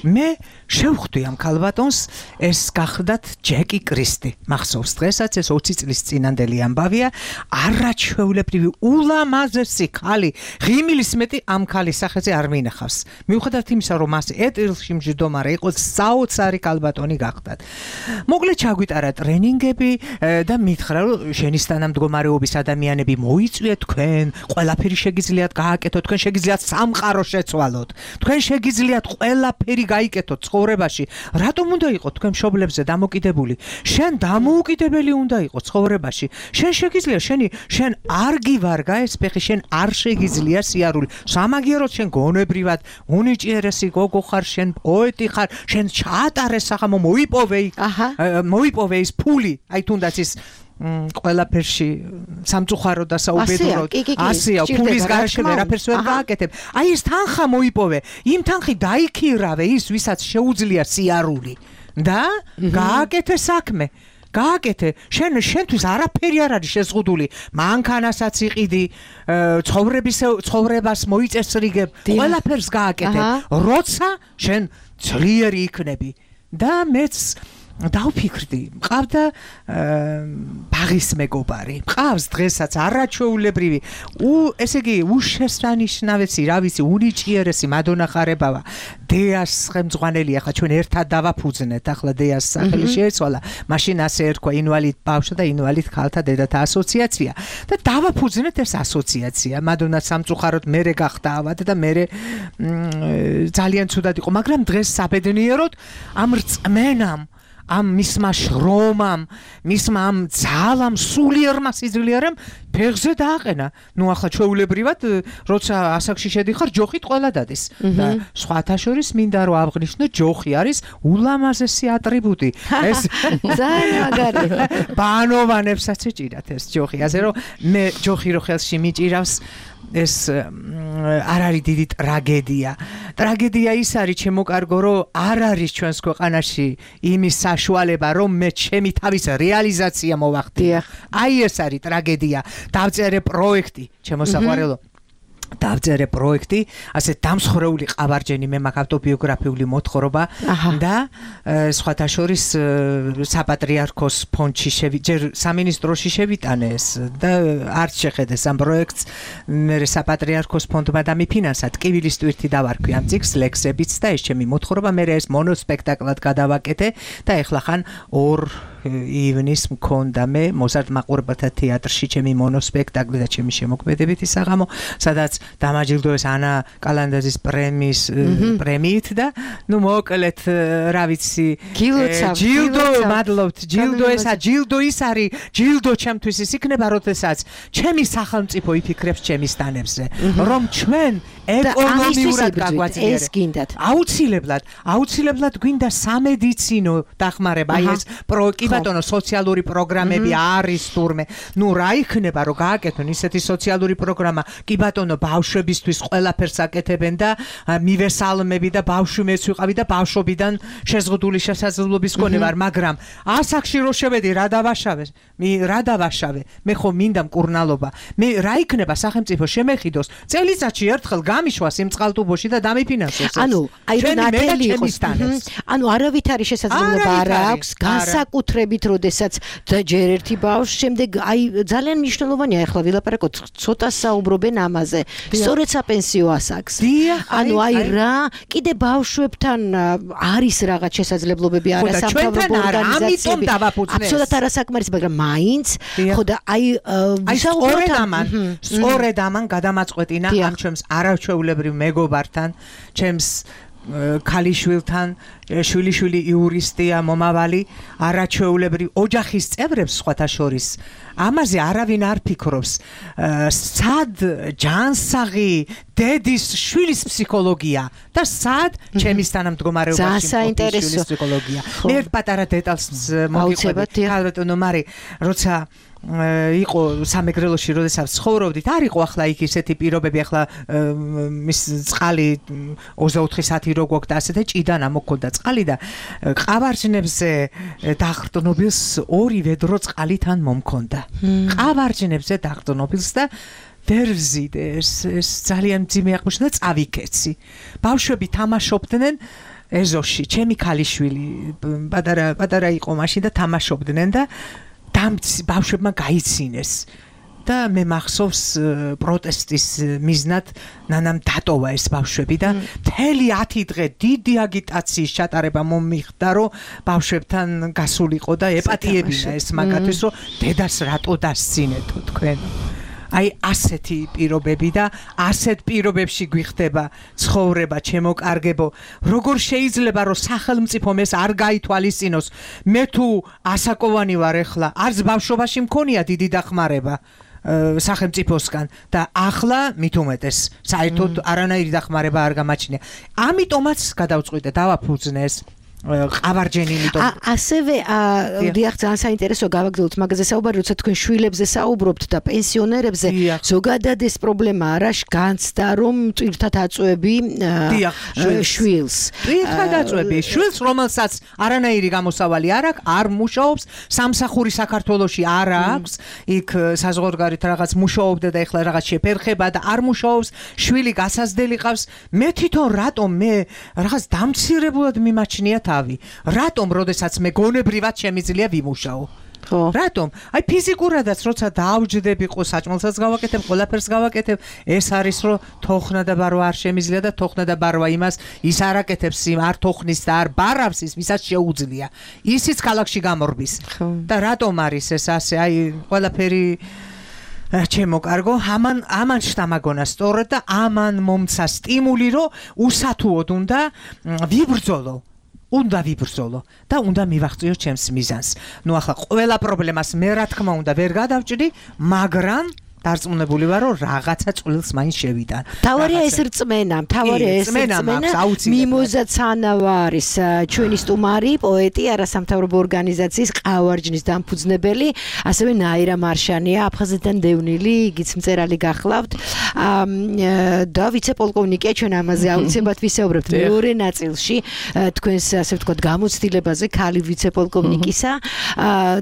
მე შევხვდი ამ ქალბატონს, ეს გახლდათ ჯეკი კრისტი. მახსოვს დღესაც ეს 20 წლის წინანდელი ამბავია, არაჩვეულებრივი ულამაზესი ქალი, ღიმილის მეტი ამ ქალის სახეზე არ მინახავს. მიუხედავად იმისა, რომ მას ეტილში მჯდომარე იყო, საოცარი ქალბატონი გახლდათ. მოკლედ ჩაგვიტარა ტრენინგები და მითხრა, რომ შენის თანამდგომარეობის ადამიანები მოიწვიეთ თქვენ, ყველაფერი შეგიძლიათ გააკეთოთ, თქვენ შეგიძლიათ სამყარო შეცვალოთ, თქვენ შეგიძლიათ ყველაფერი გაიკეთოთ ცხოვრებაში. რატომ უნდა იყოს თქვენ მშობლებზე დამოკიდებული? შენ დამოუკიდებელი უნდა იყოს ცხოვრებაში. შენ შეგიძლია შენ არ გივარგა ეს ფეხი, შენ არ შეგიძლია სიარული. სამაგიეროდ შენ გონებრივად უნიჭიერესი გოგო ხარ, შენ პოეტი ხარ, შენ ჩაატარე საღამო, მოიპოვე ის ფული, აი თუნდაც ის ყველაფერში სამწუხარო და საუბედუროდ ასეა, ფულის გარეშე ვერაფერს ვერ გააკეთებ. აი ეს თანხა მოიპოვე, იმ თანხი დაიქირავე ის, ვისაც შეუძლია სიარული და გააკეთე საქმე. გააკეთე, შენთვის არაფერი არ არის შეზღუდული, მანქანასაც იყიდი, ცხოვრებას მოიწესრიგებ, ყველაფერს გააკეთე, როცა შენ ძლიერი იქნები. და მეც დავფიქრდი, მყავდა ბაღის მეგობარი, მყავს დღესაც არაჩვეულებრივი, ესე იგი უშესანიშნავესი, რა ვიცი, უნიჭიერესი მადონახარებავა, დეას ხელმძღვანელი, ახლა ჩვენ ერთად დავაფუძნეთ, ახლა დეას სახელი შეეცვალა, მაშინ ასე ერქვა ინვალიდ ბავშვთა და ინვალიდ ქალთა დედათა ასოციაცია და დავაფუძნეთ ეს ასოციაცია. მადონა სამწუხაროდ მერე გახდა ავად და მერე ძალიან ცუდად იყო, მაგრამ დღეს საბედნიეროდ ამ რწმენამ, ამ მისმა შრომამ, მისმა ამ ძალამ, სულიერმა სიძლიერემ ფეხზე დააყენა. ნუ ახლა ჩვეულებრივად, როცა ასაკში შედიხარ, ჯოხით ყველა დადის. და სხვათა შორის მინდა რომ აღნიშნო, ჯოხი არის ულამაზესი ატრიბუტი. ეს ძალიან მაგარი. ბანოვანებსაც ეჭირათ ეს ჯოხი. ასე რომ მე ჯოხი რო ხელში მიჭირავს, ეს არ არის დიდი ტრაგედია. ტრაგედია ის არის, ჩემო კარგო, რომ არ არის ჩვენს ქვეყანაში იმის საშუალება, რომ მე ჩემი თავის რეალიზაცია მოვახდინო. აი ეს არის ტრაგედია. დავწერე პროექტი, ჩემო საყვარელო. დავწერე პროექტი, ასე დამსხრეული ყავარჯენი, მე მაქვს ავტობიოგრაფიული მოთხრობა და სხვათა შორის საპატრიარქოს ფონდში ჯერ სამინისტროში შევიტანე ეს და არც შეხედეს ამ პროექტს. მე საპატრიარქოს ფონდმა დამიფინანსა, ტკივილის ტვირთი დავარქვი ამ წიგნს ლექსებიც და ეს ჩემი მოთხრობა, მე ეს მონოსპექტაკლად გადავაკეთე და ეხლა ხან 2 ივნის მქონდა მე მოზარდ მაყურებელთა თეატრში ჩემი მონოსპექტაკლი და ჩემი შემოქმედებითი საღამო, სადაც დამაჯილდოეს ანა კალანდაძის პრემიით და ნუ მოკლედ რა ვიცი ჯილდო მადლობთ ჯილდო ის არის ჯილდო ჩემთვის ის იქნება როდესაც ჩემი სახელმწიფო იფიქრებს ჩემი სტანებზე რომ ჩვენ ეკონომიურად გაგვაძლიერებს ეს გინდათ აუცილებლად გვინდა სამედიცინო დახმარება აი ეს კი ბატონო სოციალური პროგრამები არის თურმე ნუ რა იქნება რომ გააკეთონ ისეთი სოციალური პროგრამა კი ბატონო ბავშვებისთვის ყველაფერს აკეთებენ და მივესალმები და ბავშვი მეც ვიყავი და ბავშვობიდან შეზღუდული შესაძლებლობის მქონე ვარ მაგრამ ასაკში რო შევედი რა დავაშავე მე ხო მინდა მკურნალობა მე რა იქნება სახელმწიფო შემეხიდოს წელიწადში ერთხელ გამიშვა სიმწყალტუბოში და დამიფინანსოს ანუ აი რომ ნათელი იყოს ანუ არავით არის შესაძლებლობა არ აქვს განსაკუთრებით როდესაც ჯერ ერთი ბავშვი შემდეგ აი ძალიან მნიშვნელოვანია ახლა ვილაპარაკოთ ცოტა საუბრობენ ამაზე სწორედ საპენსიო ასაკს ანუ აი რა კიდე ბავშვებთან არის რაღაც შესაძლებლობები არასამთავრობო ორგანიზაციები აბსოლუტურად არასაკმარისი მაგრამ მაინც ხო და აი სწორედ ამან გადამაწყვეტინა ამ ჩემს არაჩვეულებრივ მეგობართან ჩემს ქალიშვილთან შვილი იურისტია მომავალი არაჩვეულებრივ ოჯახის წევრებს სხვათა შორის ამაზე არავინ არ ფიქრობს სად ჯანსაღი დედის შვილის ფსიქოლოგია და სად ჩემის თანამდგომარეობაში შვილის ფსიქოლოგია მე ერთ პატარა დეტალს მოგიყვებით ხალბატონო მარი როცა იყო სამეგრელოში როდესაც ცხოვრობდით არ იყო ახლა იქ ისეთი პირობები ახლა მის წყალი 24 საათი რო გვაქვს და ასე და ჭიდანა მოგქონდა წყალი და ყავარჯნებზე დაღრდნობილს 2 ვედრო წყალი თან მომქონდა ყავარჯნებზე დაღრდნობილს და ვერ ვზიდე ეს ძალიან მძიმე აღმოჩნდა და წავიქეცი ბავშვები თამაშობდნენ ეზოში ჩემი ქალიშვილი პატარა იყო მაშინ და თამაშობდნენ და ბავშვებმა გაიცინეს და მე მახსოვს პროტესტის მიზნად ნანამ დატოვა ეს ბავშვები და მთელი 10 დღე დიდი აგიტაციის ჩატარება მომიხდა რომ ბავშვებთან გასულიყო და ეპატიებინა ეს მაგათთვის რომ დედას რატო დასცინეთო თქვენ აი ასეთი პირობები და ასეთ პირობებში გვიხდება ცხოვრება ჩემო კარგებო როგორ შეიძლება რომ სახელმწიფომ ეს არ გაითვალისწინოს მე თუ ასაკოვანი ვარ ეხლა არც ბავშვობაში მქონია დიდი დახმარება სახელმწიფოსგან და ახლა მით უმეტეს საერთოდ არანაირი დახმარება არ გამაჩნია ამიტომაც გადავწყვიტე დავაფუძნე ეს ყავარჯენი იმიტომ ასევე დიახ ძალიან საინტერესო გავაგრძელოთ მაგაზე საუბარი როცა თქვენ შვილებზე საუბრობთ და პენსიონერებზე ზოგადად ეს პრობლემა არა განცდა რომ ტვირთად აწვევი შვილს ტვირთად აწვევი შვილს რომელსაც არანაირი გამოსავალი არ აქვს არ მუშაობს სამსახური საქართველოში არ აქვს იქ საზღვარგარეთ რაღაც მუშაობდა და ეხლა რაღაც შეფერხება და არ მუშაობს შვილი გასაზრდელი ყავს მე თვითონ რატომ მე რაღაც დამცირებულად მიმაჩნია რატომ როდესაც მე გონებრივად შემიძლია ვიმუშაო ხო რატომ აი ფიზიკურადაც როცა დაავჯდები ყო საჭმელსაც გავაკეთებ ყველაფერს გავაკეთებ ეს არის რომ თოხნა და ბარვა არ შემიძლია და თოხნა და ბარვა იმას ის არ აკეთებს არ თოხნის და არ ბარავს ის ვისაც შეუძლია ისიც ქალაქში გამორბის და რატომ არის ეს ასე აი ყველაფერი ჩემო კარგო ამან შთამაგონა სწორად და ამან მომცა სტიმული რომ უსათუოდ უნდა ვიბრძოლო და უნდა მივაღწიო ჩემს მიზანს. ნუ ახლა ყველა პრობლემას მე რა თქმა უნდა ვერ გადავჭრი, მაგრამ დარწმუნებული ვარ, რომ რაღაცა წვლილს მაინც შევიტან. თავარია ეს რწმენა, მიმოზაცანავა არის ჩვენი სტუმარი, პოეტი, არასამთავრობო ორგანიზაციის ყავარჯნის დამფუძნებელი, ასევე ნაირა მარშანია, აფხაზეთიდან დევნილი, იგიც მწერალი გახლავთ. და ვიცე-პოლკოვნიკია, ჩვენ ამაზე აუცილებლად ვისაუბრებთ მეორე ნაწილში, თქვენს ასე ვთქვათ, გამოცდილებაზე, ქალი ვიცე-პოლკოვნიკისა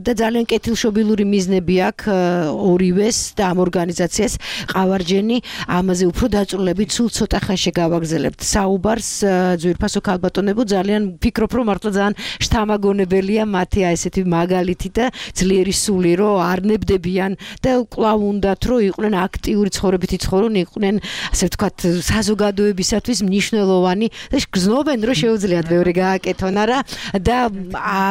და ძალიან კეთილშობილური მიზნები აქვს ორივეს და ამ ორგანიზაციას ყავარჯენი ამაზე უფრო დაწვრილებით სულ ცოტა ხანში გავაგზავნებთ საუბარს ძვირფასო ქალბატონებო ძალიან ვფიქრობ რომ მართლა ძალიან შთამაგონებელია მათი ესეთი მაგალითი და ძლიერი სული რომ არ ნებდებიან და კვლავ უნდათ რომ იყვნენ აქტიური ცხოვრებით იცხოვრონ იყვნენ ასე ვთქვათ საზოგადოებისათვის მნიშვნელოვანი და გზნობენ რომ შეუძლიათ მეორე გააკეთონ არა და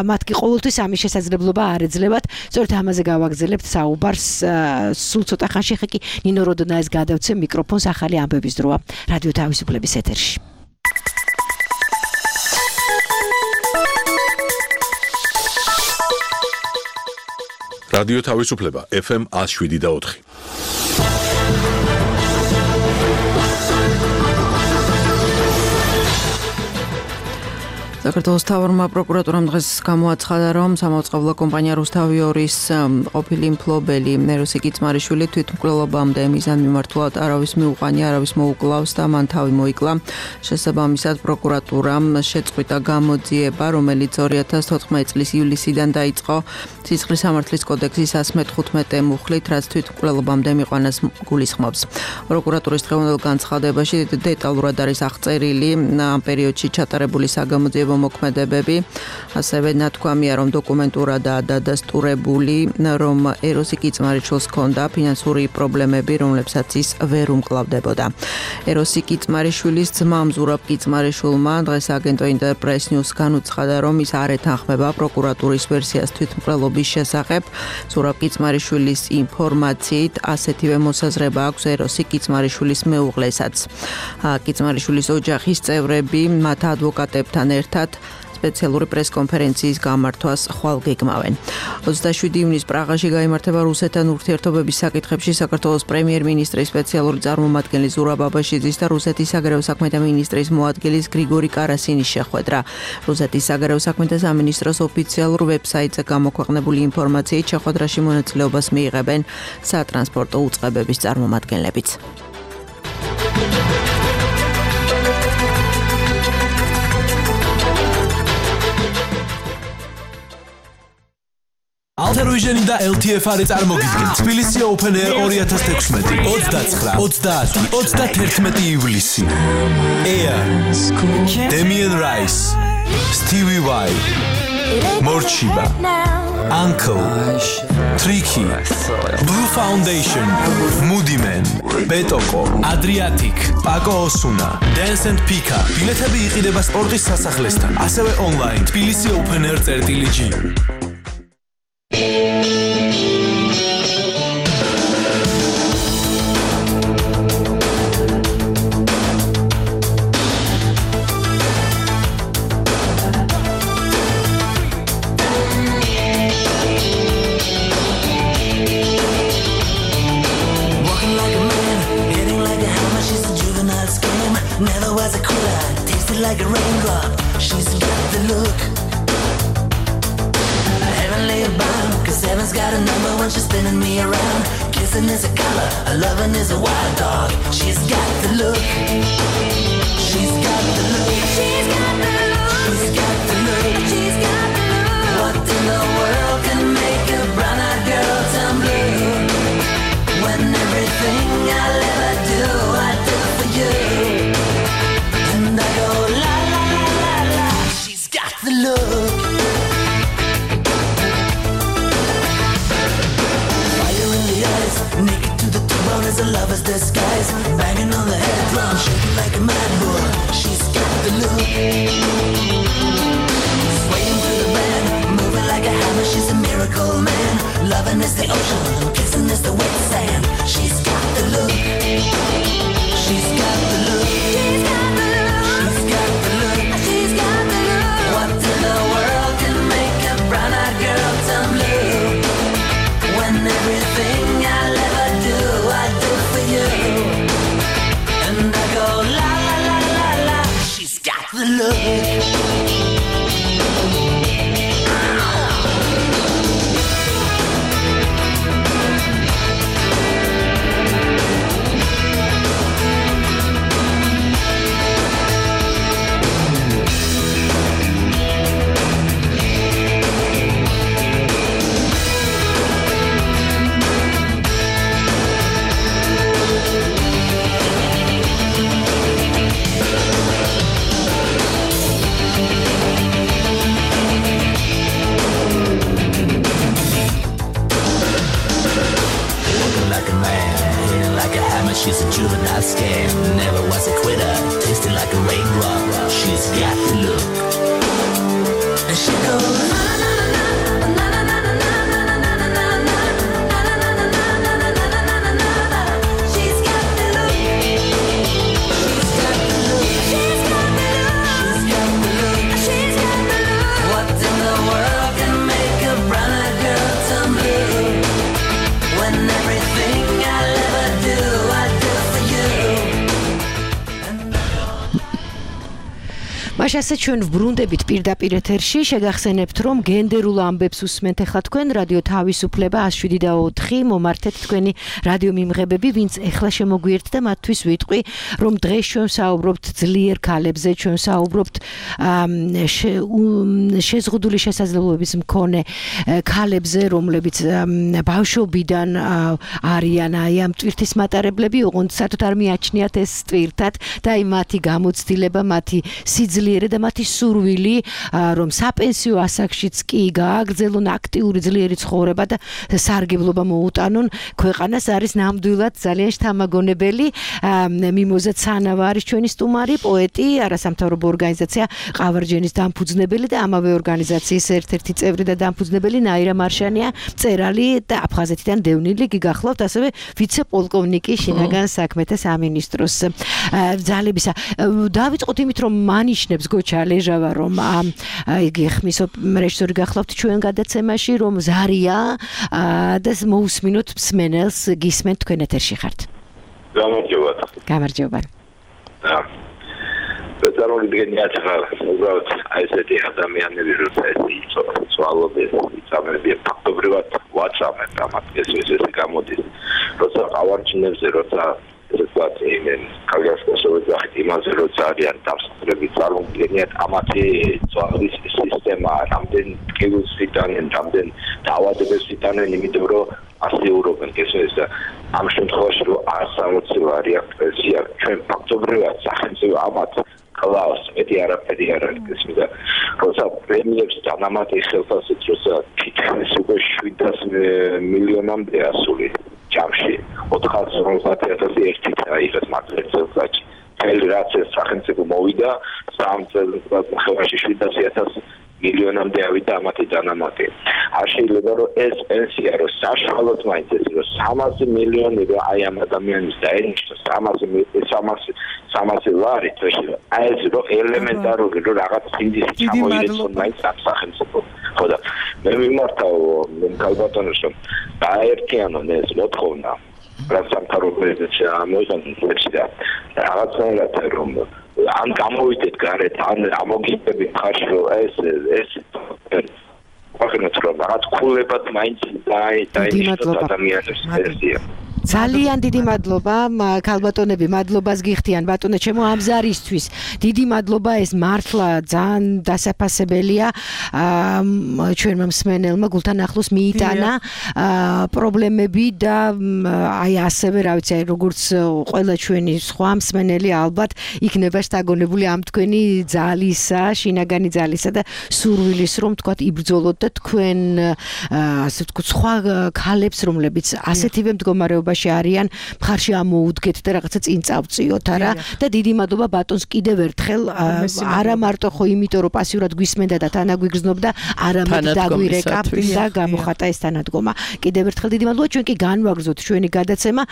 მათ კი ყოველთვის ამის შესაძლებლობა არ ეძლებათ სწორედ ამაზე გავაგზავნებთ საუბარს სულ ცოტა ხანში ხე კი ნინო როდონაის გადავცემ მიკროფონს ახალი ამბების დროა რადიო თავისუფლების ეთერში რადიო თავისუფლება FM 107.4 საქართველოს მთავრობამ პროკურატურამ დღეს გამოაცხადა, რომ სამაუწყებლო კომპანია რუსთავი 2-ის ყოფილი მფლობელი ნეროსი კიცმარიშვილი თვითმკვლელობამდე მიზანმიმართულად არავის მიუყვანია, არავის მოუკლავს და მან თავი მოიკლა. შესაბამისად, პროკურატურამ შეწყვიტა გამოძიება, რომელიც 2014 წლის ივლისიდან დაიწყო სისხლის სამართლის კოდექსის 115 მუხლით, რაც თვითმკვლელობამდე მიყვანას გულისხმობს. პროკურატურის დღევანდელ განცხადებაში დეტალურად არის აღწერილი ამ პერიოდში ჩატარებული საგამოძიებო მოქმედებები, ასევე ნათქვამია, რომ დოკუმენტურადაა დადასტურებული, რომ ეროსი კიცმარიშვილს ჰქონდა ფინანსური პრობლემები, რომლებსაც ის ვერ უმკლავდებოდა. ეროსი კიცმარიშვილის ძმამ ზურაბ კიცმარიშვილმა დღეს აგენტო ინტერპრეს ნიუს განუცხადა, რომ ის არ ეთანხმება პროკურატურის ვერსიას თვითმკვლელობის შესახებ. ზურაბ კიცმარიშვილის ინფორმაციით, ასეთივე მოსაზრება აქვს ეროსი კიცმარიშვილის მეუღლესაც. კიცმარიშვილის ოჯახის წევრები მათ ადვოკატებთან ერთად სპეციალური პრესკონფერენციის გამართვას ხვალ გეგმავენ. 27 ივნის პრაღაში გაიმართება რუსეთთან ურთიერთობების საკითხებში საქართველოს პრემიერ-მინისტრის სპეციალური წარმომადგენელი ზურაბ აბაშიძის და რუსეთის საგარეო საქმეთა მინისტრის მოადგილის გრიგორი კარასინის შეხვედრა. რუსეთის საგარეო საქმეთა სამინისტროს ოფიციალურ ვებსაიტზე გამოქვეყნებული ინფორმაციით შეხვედრაში მონაწილეობას მიიღებენ სატრანსპორტო უწყებების წარმომადგენლებიც. Alter-Vision და LTF-არი წარმოგიდგენ თბილისი Open Air 2016 29-30-31 ივლისი. Air, Damien Rice, Stevie Y, Morchiba, Uncle, Tricky, Blue Foundation, Moody Man, Betoko, Adriatic, Paco Osuna, Dance and Pika. ბილეთები იყიდება სპორტის სასახლესთან, ასევე online თბილისი Open Air.g. Never was a cooler, tasted like a raindrop. She's got the look. Heavenly bound, cause heaven's got a number when she's spinning me around. Kissing is a color, a loving is a wild dog. She's got the look. She's got the look. She's got the look. She's got the look. She's got the look. What in the world can make a brown-eyed girl turn blue? When everything I'll ever do, I do for you. And I go la la la la la. She's got the look. Fire in the eyes, naked to the bone as a lover's disguise. Banging on the head drum, shaking like a mad bull. She's got the look. Swaying through the band, moving like a hammer. She's a miracle man. Loving is the ocean, kissing is the wet sand. She's got the look. She's got the look. She's got the look. She's got the look. She's got the look. What in the world can make a brown-eyed girl turn blue? When everything I'll ever do, She's a juvenile scam, never was a quitter, tasting like a raindrop. She's got the look. And she goes na na na na na na na na na na na na. She's got the look. She's got the look. She's got the look. She's got the look. What in the world can make a brown-eyed girl turn blue? When everything I'll ever do მაშასე ჩვენ ვბრუნდებით პირდაპირ ეთერში შეგახსენებთ რომ გენდერულ ამბებს უსმენთ ახლა თქვენ რადიო თავისუფლება 107.4 მომართეთ თქვენი რადიო მიმღებები ვინც ახლა შემოგვიერთთ და მათთვის ვიტყვი რომ დღეს ჩვენ საუბრობთ ძლიერ ქალებზე ჩვენ საუბრობთ შეზღუდული შესაძლებლობების მქონე ქალებზე რომლებიც ბავშვობიდან არიან აი ამ ტვირთის მატარებლები ოღონდ საერთოდ არ მიაჩნიათ ეს ტვირთად და აი მათი გამოცდილება მათი სიძლიერე და მათი სურვილი რომ საპენსიო ასაკშიც კი გააგრძელონ აქტიური ძლიერი ცხოვრება და სარგებლობა მოუტანონ ქვეყანას არის ნამდვილად ძალიან შთამაგონებელი მიმოზა ცანავა არის ჩვენი სტუმარი პოეტი არასამთავრობო ორგანიზაცია ყავარჯენის დამფუძნებელი და ამავე ორგანიზაციის ერთ-ერთი წევრი და დამფუძნებელი ნაირა მარშანია მწერალი და აფხაზეთიდან დევნილი გიგახლავთ ასევე ვიცე-პოლკოვნიკი შინაგან საქმეთა სამინისტროს ძალებისა დავიწყოთ იმით რომ მანიშნებს გოჩა ლეჟავა რომ იგი ხმის რეჟისორი გახლავთ ჩვენ გადაცემაში რომ ზარია და მოусმინოთ მსმენელს გისმენთ თქვენ ეთერში ხართ გამარჯობა ბეწარული დგენია ახლა უბრალოდ აი ესეთი ადამიანები როცა ეს ცვალობენ იწამებიან ფაქტობრივად ვაცამებ ამათ ეს გამოდის როცა ყავარჯინებზე როცა ესეთ იმენ კალგასკოსოვა იმაზე როცა არიან დამსწრები წარმოგვიდგენიათ ამათი ძვლის სისტემა რამდენ ტკივილს იტანენ რამდენ დაავადებებს იტაnen იმიტომ რომ ასეურობენ ეს ამ შემთხვევაში რომ 160 რეაქცია ჩვენ ფაქტობრივად სახელმწიფო ამათ კლავს მეტი არაფერი არ არის და როცა პრემიებს დანამატი ხელფასით როცა თითქმის უკვე 700 მილიონამდე ასული ჯამში 450,000 ერთი აიღეს მართლაც წელიწადში მთელი რაც ეს სახელმწიფო მოვიდა 3 წელიწადში 700,000 მილიონამდე ავიდა ამათი დანამატი არ შეიძლება რომ ეს პენსია რომ საშუალოდ მაინც ეს რომ 300 მილიონი რომ აი ამ ადამიანის დაენიშნოს 300 ლარი თვეში აი ეს რომ ელემენტარული რომ რაღაც ინდისი ჩამოიერთონ მაინც ამ სახელმწიფო ხო და მე მიმართავ კალბატონს რომ დაერთიანონ ეს მოთხოვნა რასამთავრობოებიც მოიხსენიებს და რაღაცნაირად რომ ან გამოვიდეთ გარეთ ან ამოგიწევთ ხარში რომ ეს ვახენოთ რომ რაღაც ქულებად მაინც დაინიშნოს ადამიანებს პენსია ძალიან დიდი მადლობა ქალბატონები მადლობას გიხდიან ბატონო ჩემო ამ ზარისთვის დიდი მადლობა ეს მართლა ძალიან დასაფასებელია ჩვენმა მსმენელმა გულთან ახლოს მიიტანა პრობლემები და აი ასევე რა ვიცი აი როგორც ყველა ჩვენი სხვა მსმენელი ალბათ იქნება შთაგონებული ამ თქვენი ძალისა შინაგანი ძალისა და სურვილის რომ თქვა იბრძოლოთ და თქვენ ასე ვთქვათ სხვა ქალებს რომლებიც ასეთივე მდგომარეობა არიან მხარში ამოუდგეთ და რაღაცა წინ წავწიოთ არა და დიდი მადლობა ბატონს კიდევ ერთხელ არა მარტო ხო იმიტომ რომ პასიურად გვისმენდა და თანაგვიგრძნობდა არამედ დაგვირეკა და გამოხატა ეს თანადგომა კიდევ ერთხელ დიდი მადლობა ჩვენ კი განვაგრძოთ ჩვენი გადაცემა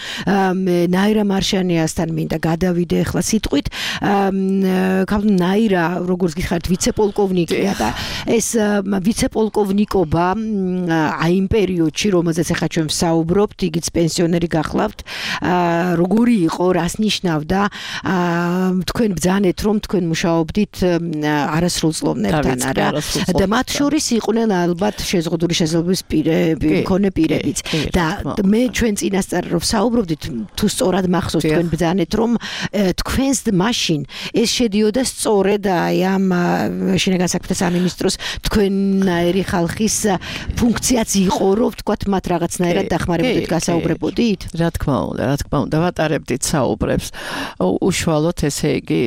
ნაირა მარშანიასთან მინდა გადავიდე ახლა სიტყვით ნაირა როგორც გითხარით ვიცე-პოლკოვნიკია და ეს ვიცე-პოლკოვნიკობა აი იმ პერიოდში რომელზეც ახლა ჩვენ ვსაუბრობთ იგიც პენსიონერი გახლავთ როგორი იყო რას ნიშნავდა თქვენ ბრძანეთ რომ თქვენ მუშაობდით არასრულწლოვნებთან არა და მათ შორის იყვნენ ალბათ შეზღუდული შესაძლებლობის მქონე პირებიც და მე ჩვენ წინასწარ რომ საუბრობდით თუ სწორად მახსოვს თქვენ ბრძანეთ რომ თქვენს მაშინ ეს შედიოდა სწორედ აი ამ შინაგან საქმეთა სამინისტროს თქვენნაირი ხალხის ფუნქციაც იყო რომ თქვათ მათ რაღაცნაირად დახმარებოდით გასაუბრებოდით რა თქმა უნდა ვატარებდით საუბრებს უშუალოდ ესე იგი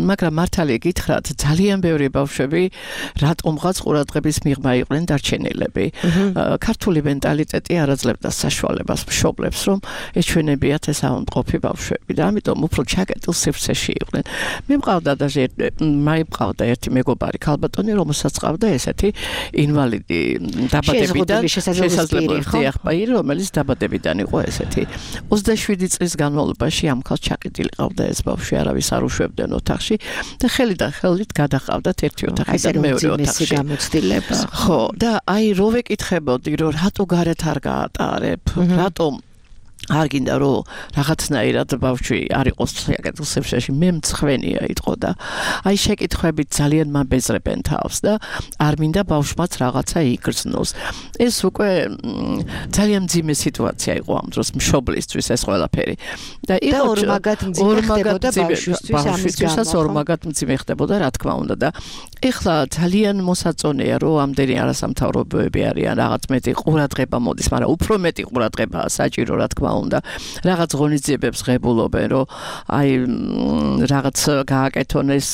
მაგრამ მართალი გითხრათ ძალიან ბევრი ბავშვები რატომღაც ყურადღების მიღმა იყვნენ დარჩენილები ქართული მენტალიტეტი არ აძლევდა საშუალებას მშობლებს რომ ეჩვენებიათ ეს ავადმყოფი ბავშვები და ამიტომ უფრო ჩაკეტილ სივრცეში იყვნენ მე მყავდა ერთი მეგობარი ქალბატონი რომელსაც ყავდა ესეთი ინვალიდი დაბადებიდან შესაძლებლობები ახპაირი რომელიც დაბადებიდან იყო ესეთი 27 წლის განმავლობაში ამ ხალხს ჩაკეტილი ყავდა ეს ბავშვი არავის არ უშვებდნენ ოთახში და ხელიდან ხელით გადაყავდათ ერთი ოთახიდან მეორე ოთახში გამოცდილება ხო და აი რო ვეკითხებოდი რომ რატო გარეთ არ გაატარებ რატომ არ გინდა რომ რაღაცნაირად ბავშვი არ იყოს საკეთილ სივრცეში მე მცხვენია იტყო და აი შეკითხვებით ძალიან მაბეზრებენ თავს და არ მინდა ბავშვმაც რაღაცა იგრძნოს ეს უკვე ძალიან მძიმე სიტუაცია იყო ამ დროს მშობლისთვის ეს ყველაფერი და იყო ორმაგად მძიმე ხდებოდა ბავშვისთვისაც ორმაგად მძიმე ხდებოდა რა თქმა უნდა და ეხლა ძალიან მოსაწონეა რომ ამდენი არასამთავრობოები არიან რაღაც მეტი ყურადღება მოდის მაგრამ უფრო მეტი ყურადღებაა საჭირო რა თქმა უნდა რაღაც ღონისძიებებს ღებულობენ რომ აი რაღაც გააკეთონ ეს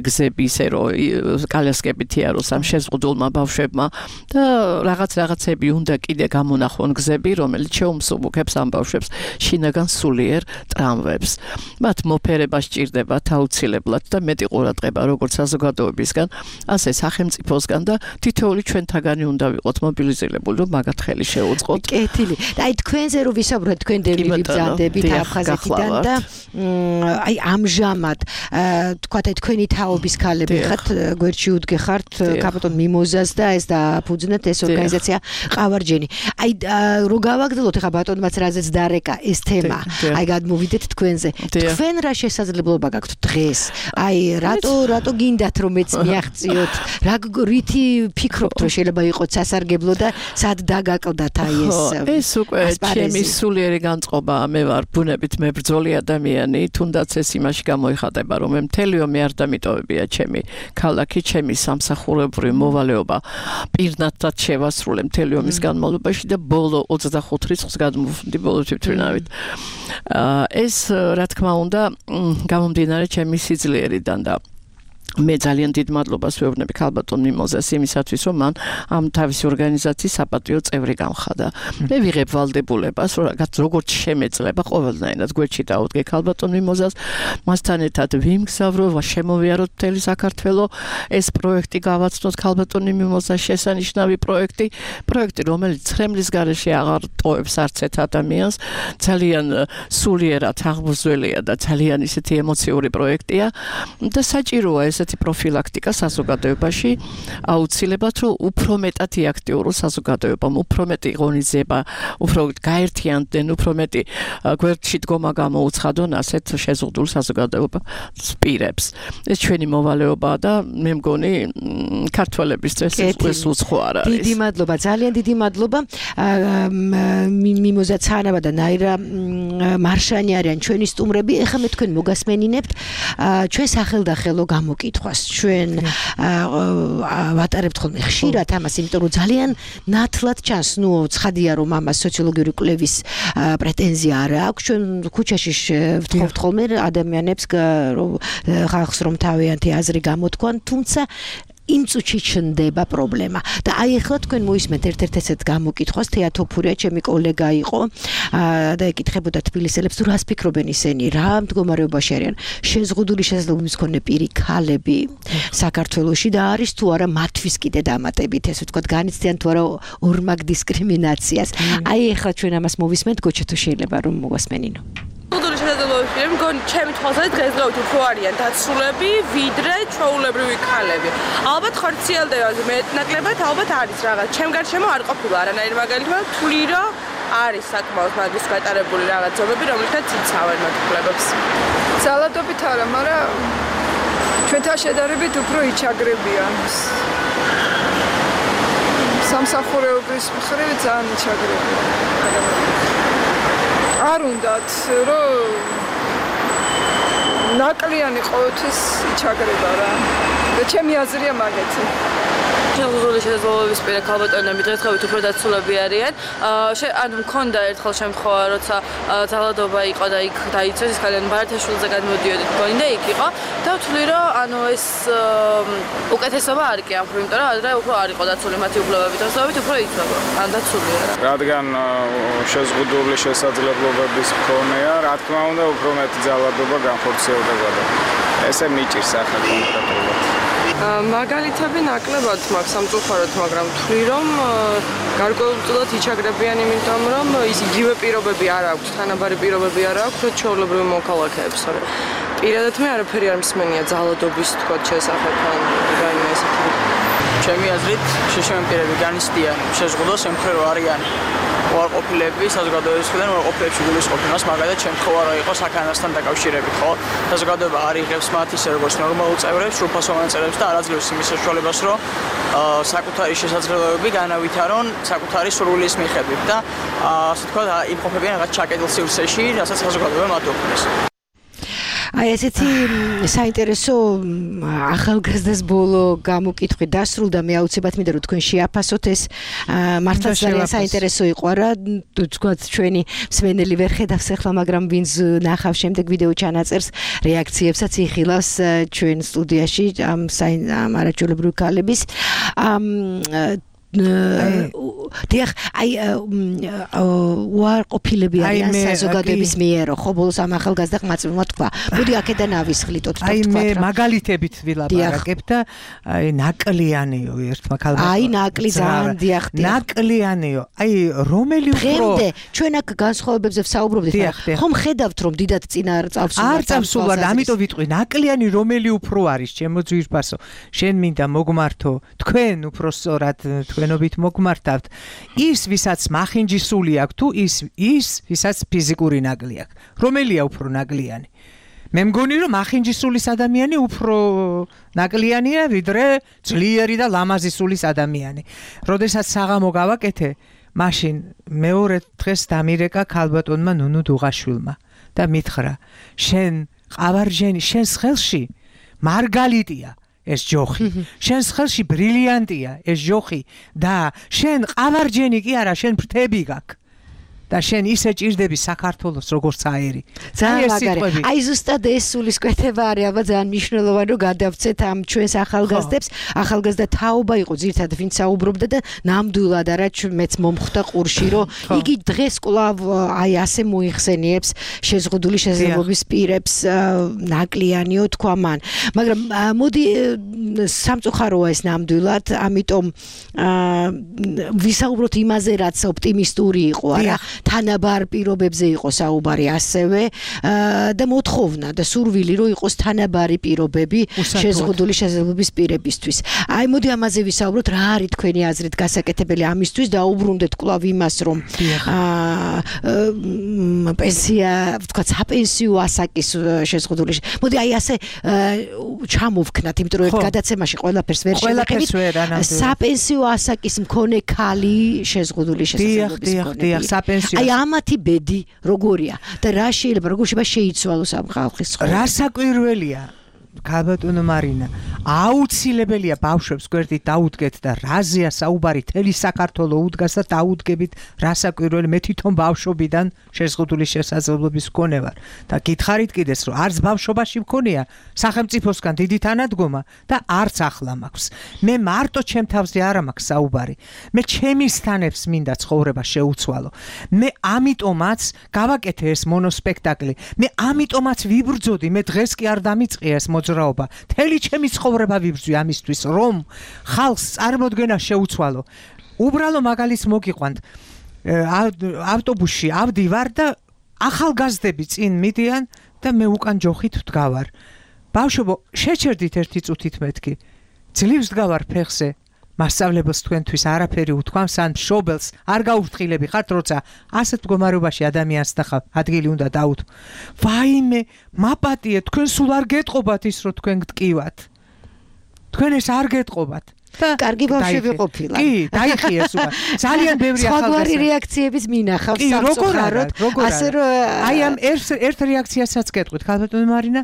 გზები ისე რომ კალესკებით იაროს ამ შეზღუდულმა ბავშვებმა და რაღაცები უნდა კიდე გამონახონ გზები რომელიც შეუმსუბუქებს ამ ბავშვებს შინაგან სულიერ ტრამვებს მათ მოფერება სჭირდებათ აუცილებლად და მეტი ყურადღება როგორც საზოგადოებისგან ასე სახელმწიფოსგან და თითოეული ჩვენთაგანი უნდა ვიყოთ მობილიზირებული რომ მაგათ ხელი შეუწყოთ კეთილი და აი თქვენზე რომ ვისაუბროთ თქვენ დევნილი ბრძანდებით აფხაზეთიდან და აი ამჟამად თქვათ აი თქვენი თაობის ქალები ხართ გვერდში უდგეხართ კაპიტონ მიმოზას და ეს დააფუძნეთ ეს ორგანიზაცია ყავარჯენი აი რო გავაგრძელოთ ახლა ბატონმაც რაზეც დარეკა ეს თემა აი გადმოვიდეთ თქვენზე თქვენ რა შესაძლებლობა გაქვთ დღეს აი რატო გინდათ რომ მეც მიაღწიოთ რა რითი ფიქრობთ რომ შეიძლება იყოს სასარგებლო და სად დაგაკლდათ აი ეს უკვე ჩემი სულიერი განწყობა მე ვარ ბუნებით მებრძოლი ადამიანი თუნდაც ეს იმაში გამოიხატება რომ მე მთელი ომი არ დამიტოვებია ჩემი ქალაქი ჩემი სამსახურებრივი მოვალეობა პირნათად შევასრულე მთელი ომის განმავლობაში და ბოლო 25 რიცხვს გადმოვხდი ბოლო თვითმფრინავით ეს რა თქმა უნდა გამომდინარე ჩემი სიძლიერიდან და მე ძალიან დიდ მადლობას ვეუბნები ქალბატონ მიმოზას იმისათვის რომ მან ამ თავისი ორგანიზაციის საპატიო წევრი გამხადა მე ვიღებ ვალდებულებას როგორც შემეძლება ყოველდღიურად გვერდში დავუდგე ქალბატონ მიმოზას მასთან ერთად ვიმგზავრო შემოვიაროთ მთელი საქართველო ეს პროექტი გავაცნოთ ქალბატონ მიმოზას შესანიშნავი პროექტი რომელიც ხრემლის გარეშე აღარ ტოვებს არც ერთ ადამიანს ძალიან სულიერად აღბრძოლია და ძალიან ისეთი ემოციური პროექტია და საჭიროა ესეთი პროფილაქტიკა საზოგადოებაში აუცილებლად რომ უფრო მეტად იაქტიუროს საზოგადოებამ უფრო მეტი ღონისძიება უფრო გაერთიანდნენ უფრო მეტი გვერდში დგომა გამოუცხადონ ასეთ შეზღუდულ საზოგადოებას პირებს ეს ჩვენი მოვალეობაა და მე მგონი ქართველებისთვის ეს უცხო არ არის დიდი მადლობა ძალიან დიდი მადლობა მიმოზა ცანავა და ნაირა მარშანი არიან ჩვენი სტუმრები ეხლა მე თქვენ მოგასმენინებთ ჩვენ სახელდახელო გამოკითხვას ჩვენ ვატარებთ ხოლმე ხშირად ამას იმიტომ რომ ძალიან ნათლად ჩანს ნუ ცხადია რომ ამას სოციოლოგიური კვლევის პრეტენზია არ აქვს ჩვენ ქუჩაში ვთხოვთ ხოლმე ადამიანებს ხალხს რომ თავიანთი აზრი გამოთქვან თუმცა იმ წუთში ჩნდება პრობლემა და აი ახლა თქვენ მოისმენთ ერთ-ერთ ესეთ გამოკითხვას თეატოფურია ჩემი კოლეგა იყო და ეკითხებოდა თბილისელებს თუ რას ფიქრობენ ისინი რა მდგომარეობაში არიან შეზღუდული შესაძლებლობის მქონე პირი ქალები საქართველოში და არის თუ არა მათთვის კიდე დამატებით ესე ვთქვათ განიცდიან თუ არა ორმაგ დისკრიმინაციას აი ახლა ჩვენ ამას მოვისმენთ გოჩა თუ შეიძლება რომ მოვასმენინო სულ შესაძლებლობები მგონი ჩემი თვალსაზრისით დღესდღეობით უფრო არიან დაცულები ვიდრე ჩვეულებრივი ქალები ალბათ ხორციელდება მეტნაკლებად ალბათ არის რაღაც ჩემ გარშემო არ ყოფილა არანაირი მაგალითად თვლი რომ არის საკმაოდ მაგის გატარებული რაღაც ზომები, რომლითაც იცავენ მათგლებებს. ძალადობით არა, მაგრამ ჩვენთან შედარებით უფრო იჩაგრებიან. სამსახურეობის მხრივ ძალიან იჩაგრებიან. არ უნდათ, რომ ნაკლიანი ყოველთვის იჩაგრება რა. და ჩემი აზრია მაგეთი. შეზღუდული შესაძლებლობის პირა ქალბატონები დღესდღეობით უფრო დაცულები არიან. ანუ მქონდა ერთხელ შემთხვევა, როცა ძალადობა იყო და იქ დაიცვეს, ის კალიან ბარათაშვილზე გადმოდიოდით, მგონი და იქ იყო. და ვთვლი, რომ ანუ ეს უკეთესობა არ კი ამ იმიტომ რომ ადრე უფრო არ იყო დაცული მათი უფლებები, დღესდღეობით უფრო იცვება. ან დაცული არა. რადგან შეზღუდული შესაძლებლობების მქონეა, რა თქმა უნდა, უფრო მეტი ძალადობა განხორციელდება. ესე მიჭირს ახლა კონკრეტულად. მაგალითები ნაკლებად მაქვს სამწუხაროდ, მაგრამ ვთვლი, რომ გარკვეულწილად იჩაგრებიან იმიტომ, რომ ის იგივე პირობები არ აქვს, თანაბარი პირობები არ აქვს, რაც ჩვეულებრივ მოქალაქეებს. პირადად მე არაფერი არ მსმენია ძალადობის თქო შესახებ ან რაიმე ესეთი. ჩემი აზრით, შეშემენ პირები განიცდიან შეზღუდოს ემხრე რო არიან უარყოფილები საზოგადოების მხრიდან უარყოფილებში გულისხმობს, მაგალითად შემთხვევა რა იყო საქანასთან დაკავშირებით, ხო? საზოგადოება არ იღებს მათ ისე როგორც ნორმალურ წევრებს, სრულფასო მონაწილეებს და არ აძლევს იმის საშუალებას, რომ საკუთარი შესაძლებლობები განავითარონ საკუთარი სურვილის მიხედვით და ასე თქვა იმყოფებიან რაღაც ჩაკეტილ სივრცეში, რასაც საზოგადოება მათ უქმნის. აი ესეთი საინტერესო ახალგაზრდას ბოლო გამოკითხვი დასრულდა მე აუცილებლად მინდა რომ თქვენ შეაფასოთ ეს მართლაც ძალიან საინტერესო იყო რა თქვათ ჩვენი მსმენელი ვერ ხედავს ახლა მაგრამ ვინც ნახავს შემდეგ ვიდეო ჩანაწერს რეაქციებსაც იხილავს ჩვენ სტუდიაში ამ არაჩვეულებრივი ქალების დიახ, აი უარყოფილები არიან საზოგადოების მიერო, ხო, ბოლოს ამ ახალგაზრდა ყმაწვილმა თქვა. მოდი აქედან ავისხლიტოთ, თქვათ რა. აი მე მაგალითებით ვილაპარაკებ და აი ნაკლიანიო ერთმა ქალბატონმა. აი ნაკლი ძალიან დიახ. ნაკლიანიო. აი რომელი უფრო დღემდე ჩვენ აქ განსხვავებებზე ვსაუბრობდით, ხომ ხედავთ რომ დიდად წინა წავსულა. არ წავსულა, ამიტომ ვიტყვი, ნაკლიანი რომელი უფრო არის, ჩემო ძვირფასო. შენ მინდა მოგმართო, თქვენ უფრო სწორად თქვენობით მოგმართავთ. ის ვისაც მახინჯისული აქვს თუ ის ვისაც ფიზიკური ნაკლი აქვს. რომელია უფრო ნაკლიანი? მე მგონი რომ მახინჯისულის ადამიანი უფრო ნაკლიანია ვიდრე ძლიერი და ლამაზი სულის ადამიანი. როდესაც საღამო გავაკეთე, მაშინ მეორე დღეს დამირეკა ქალბატონმა ნუნუ დუღაშვილმა და მითხრა: "შენ ყავარჯენი, შენს ხელში მარგალიტია ეს ჯოხი. შენს ხელში ბრილიანტია ეს ჯოხი და შენ ყავარჯენი კი არა, შენ ფრთები გაქვს. და შენ ისე ჭირდები საქართველოს როგორც აერი." ძალიან მაგარი. აი ზუსტად ეს სულისკვეთება არის, ალბათ ძალიან მნიშვნელოვანი რომ გადავცეთ ამ ჩვენს ახალგაზრდებს. ახალგაზრდა თაობა იყო ძირითადად ვინც საუბრობდა და ნამდვილად არა მეც მომხვდა ყურში რომ იგი დღეს კვლავ აი ასე მოიხსენიებს შეზღუდული შესაძლებლობის პირებს ნაკლიანიო თქვა მან. მაგრამ მოდი სამწუხაროა ეს ნამდვილად, ამიტომ ვისაუბროთ იმაზე რაც ოპტიმისტური იყო, არა? თანაბარ პირობებზე იყო საუბარი ასევე და მოთხოვნა და სურვილი რომ იყოს თანაბარი პირობები შეზღუდული შესაძლებლობის პირებისთვის. აი მოდი ამაზე ვისაუბროთ, რა არის თქვენი აზრით გასაკეთებელი ამისთვის და უბრუნდეთ კვლავ იმას რომ პენსია, ვთქვათ, საპენსიო ასაკის შეზღუდული. მოდი აი ასე ჩამოვქნათ, იმიტომ რომ ერთ გადაცემაში ყველაფერს ვერ შევხედით. საპენსიო ასაკის მქონე ქალი შეზღუდული შესაძლებლობის მქონე. აი ამათი ბედი როგორია და რა შეიძლება როგორ შეიცვალოს ამ ხალხის ცხოვრება? რა საკვირველია ქალბატონო მარინა, აუცილებელია ბავშვებს გვერდით დაუდგეთ და რაზეა საუბარი თელი საქართველო უდგას და დაუდგებით რა საკვირველი მე თვითონ ბავშვობიდან შეზღუდული შესაძლებლობის მქონე ვარ და გითხარით კიდეს რომ არც ბავშვობაში მქონია სახელმწიფოსგან დიდი თანადგომა და არც ახლა მაქვს. მე მარტო ჩემ თავზე არ მაქვს საუბარი. მე ჩემი სტანებს მინდა ცხოვრება შეუცვალო. მე ამიტომაც გავაკეთე ეს მონოსპექტაკლი. მე ამიტომაც ვიბრძოდი, მე დღეს კი არ დამიწყია ეს მოძრაობა. თელი ჩემი ცხოვრება ვიბრძვი ამისთვის, რომ ხალხს წარმოდგენა შეუცვალო. უბრალო მაგალითს მოგიყვანთ. ავტობუსში ავდივარ და ახალგაზრდები წინ მიდიან და მე უკან ჯოხით ვდგავარ. ბავშვო, შეჩერდით ერთი წუთით მეთქი. ძლივს ვდგავარ ფეხზე. მასწავლებელს თქვენთვის არაფერი უთქვამს ან მშობელს არ გაუფრთხილები ხართ, როცა ასეთ მდგომარეობაში ადამიანს ნახავ, ადგილი უნდა დაუთმო. ვაიმე, მაპატიე, თქვენ სულ არ გეტყობათ ის, რომ თქვენ გტკივათ. თქვენ ეს არ გეტყობათ. კარგი ბავშვები ყოფილა. კი, დაიხიეს უკვე. ძალიან ბევრი ახალგაზრდა. სხვაგვარი რეაქციების მინახავს სამწუხაროდ. ასე რომ აი ამ ერთ რეაქციასაც გეტყვით, ქალბატონო მარინა,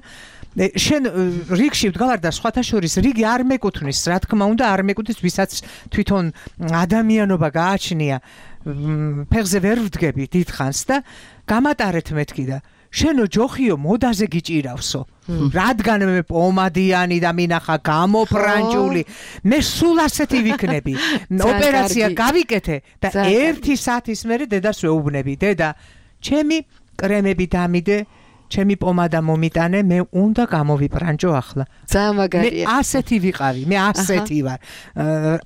შენ რიგში ვდგავარ და სხვათა შორის რიგი არ მეკუთვნის, რა თქმა უნდა, არ მეკუთვნის, ვისაც თვითონ ადამიანობა გააჩნია, ფეხზე ვერ ვდგები დიდხანს და გამატარეთ მეთქი და შენო ჯოხიო მოდაზე გიჭირავსო. რადგან მე პომადიანი და მინახა გამოფრანჯული, მე სულ ასეთი ვიქნები. ოპერაცია გავიკეთე და 1 საათის მერე დედას ვეუბნები. დედა, ჩემი კრემები დამიდე, ჩემი პომადა მომიტანე, მე უნდა გამოვიპრანჯო ახლა. ძალიან მაგარია. მე ასეთი ვიყავი, მე ასეთი ვარ.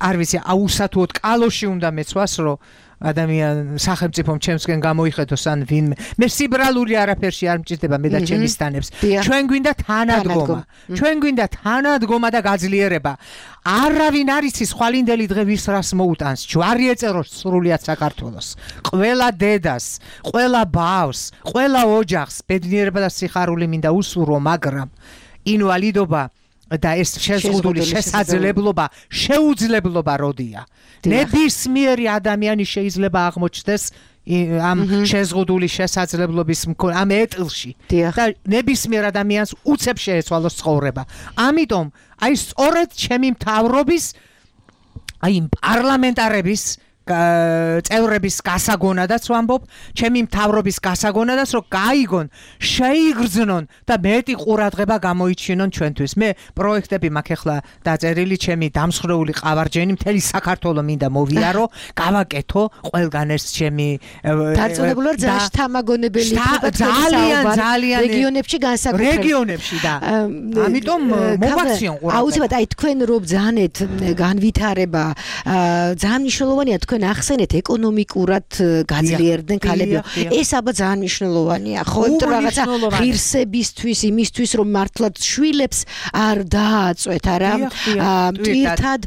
არ ვიცი, აუსათუოდ კალოში უნდა მეცვას, რომ ადამიან სახელმწიფომ ჩემსკენ გამოიხედოს ან ვინმე. მე სიბრალური არაფერში არ მჭირდება მე და ჩემი სტანებს. ჩვენ გვინდა თანადგომა. ჩვენ გვინდა თანადგომა და გაძლიერება. არავინ არ იცის ხვალინდელი დღე ვის რას მოუტანს. ჯვარი ეწეროს სრულიად საქართველოს. ყველა დედას, ყველა ბავშვს, ყველა ოჯახს ბედნიერება და სიხარული მინდა უსურვო, მაგრამ ინვალიდობა და ეს შეზღუდული შესაძლებლობა შეუძლებლობა როდია. ნებისმიერი ადამიანი შეიძლება აღმოჩნდეს ამ შეზღუდული შესაძლებლობის ამ ეტლში და ნებისმიერ ადამიანს უცებ შეეცვალოს ცხოვრება. ამიტომ აი სწორედ ჩემი მთავრობის აი პარლამენტარების წევრების გასაგონადაც ვამბობ, ჩემი მთავრობის გასაგონადაც, რომ გაიგონ, შეიგრძნონ და მეტი ყურადღება გამოიჩინონ ჩვენთვის. მე პროექტები მაქვს ახლა დაწერილი, ჩემი დამსხვრეული ყავარჯენი მთელი საქართველო მინდა მოვიარო, გავაკეთო ყველგან ეს ჩემი დარწმუნებული ვარ, ძალიან შთამაგონებელი იქნება ძალიან რეგიონებში განსაკუთრებით. რეგიონებში და ამიტომ მოვაქციონ ყურადღება. აუცილებლად აი თქვენ რო ბძანეთ განვითარება, ძალიან მნიშვნელოვანია თქვენ ახსენეთ ეკონომიკურად გაძლიერდნენ ქალებიო. ეს აბა ძალიან მნიშვნელოვანია. ხო, იმიტომ რაღაცა ღირსებისთვის, იმისთვის რომ მართლაც შვილებს არ დააწვეთ, არა? მტვირთად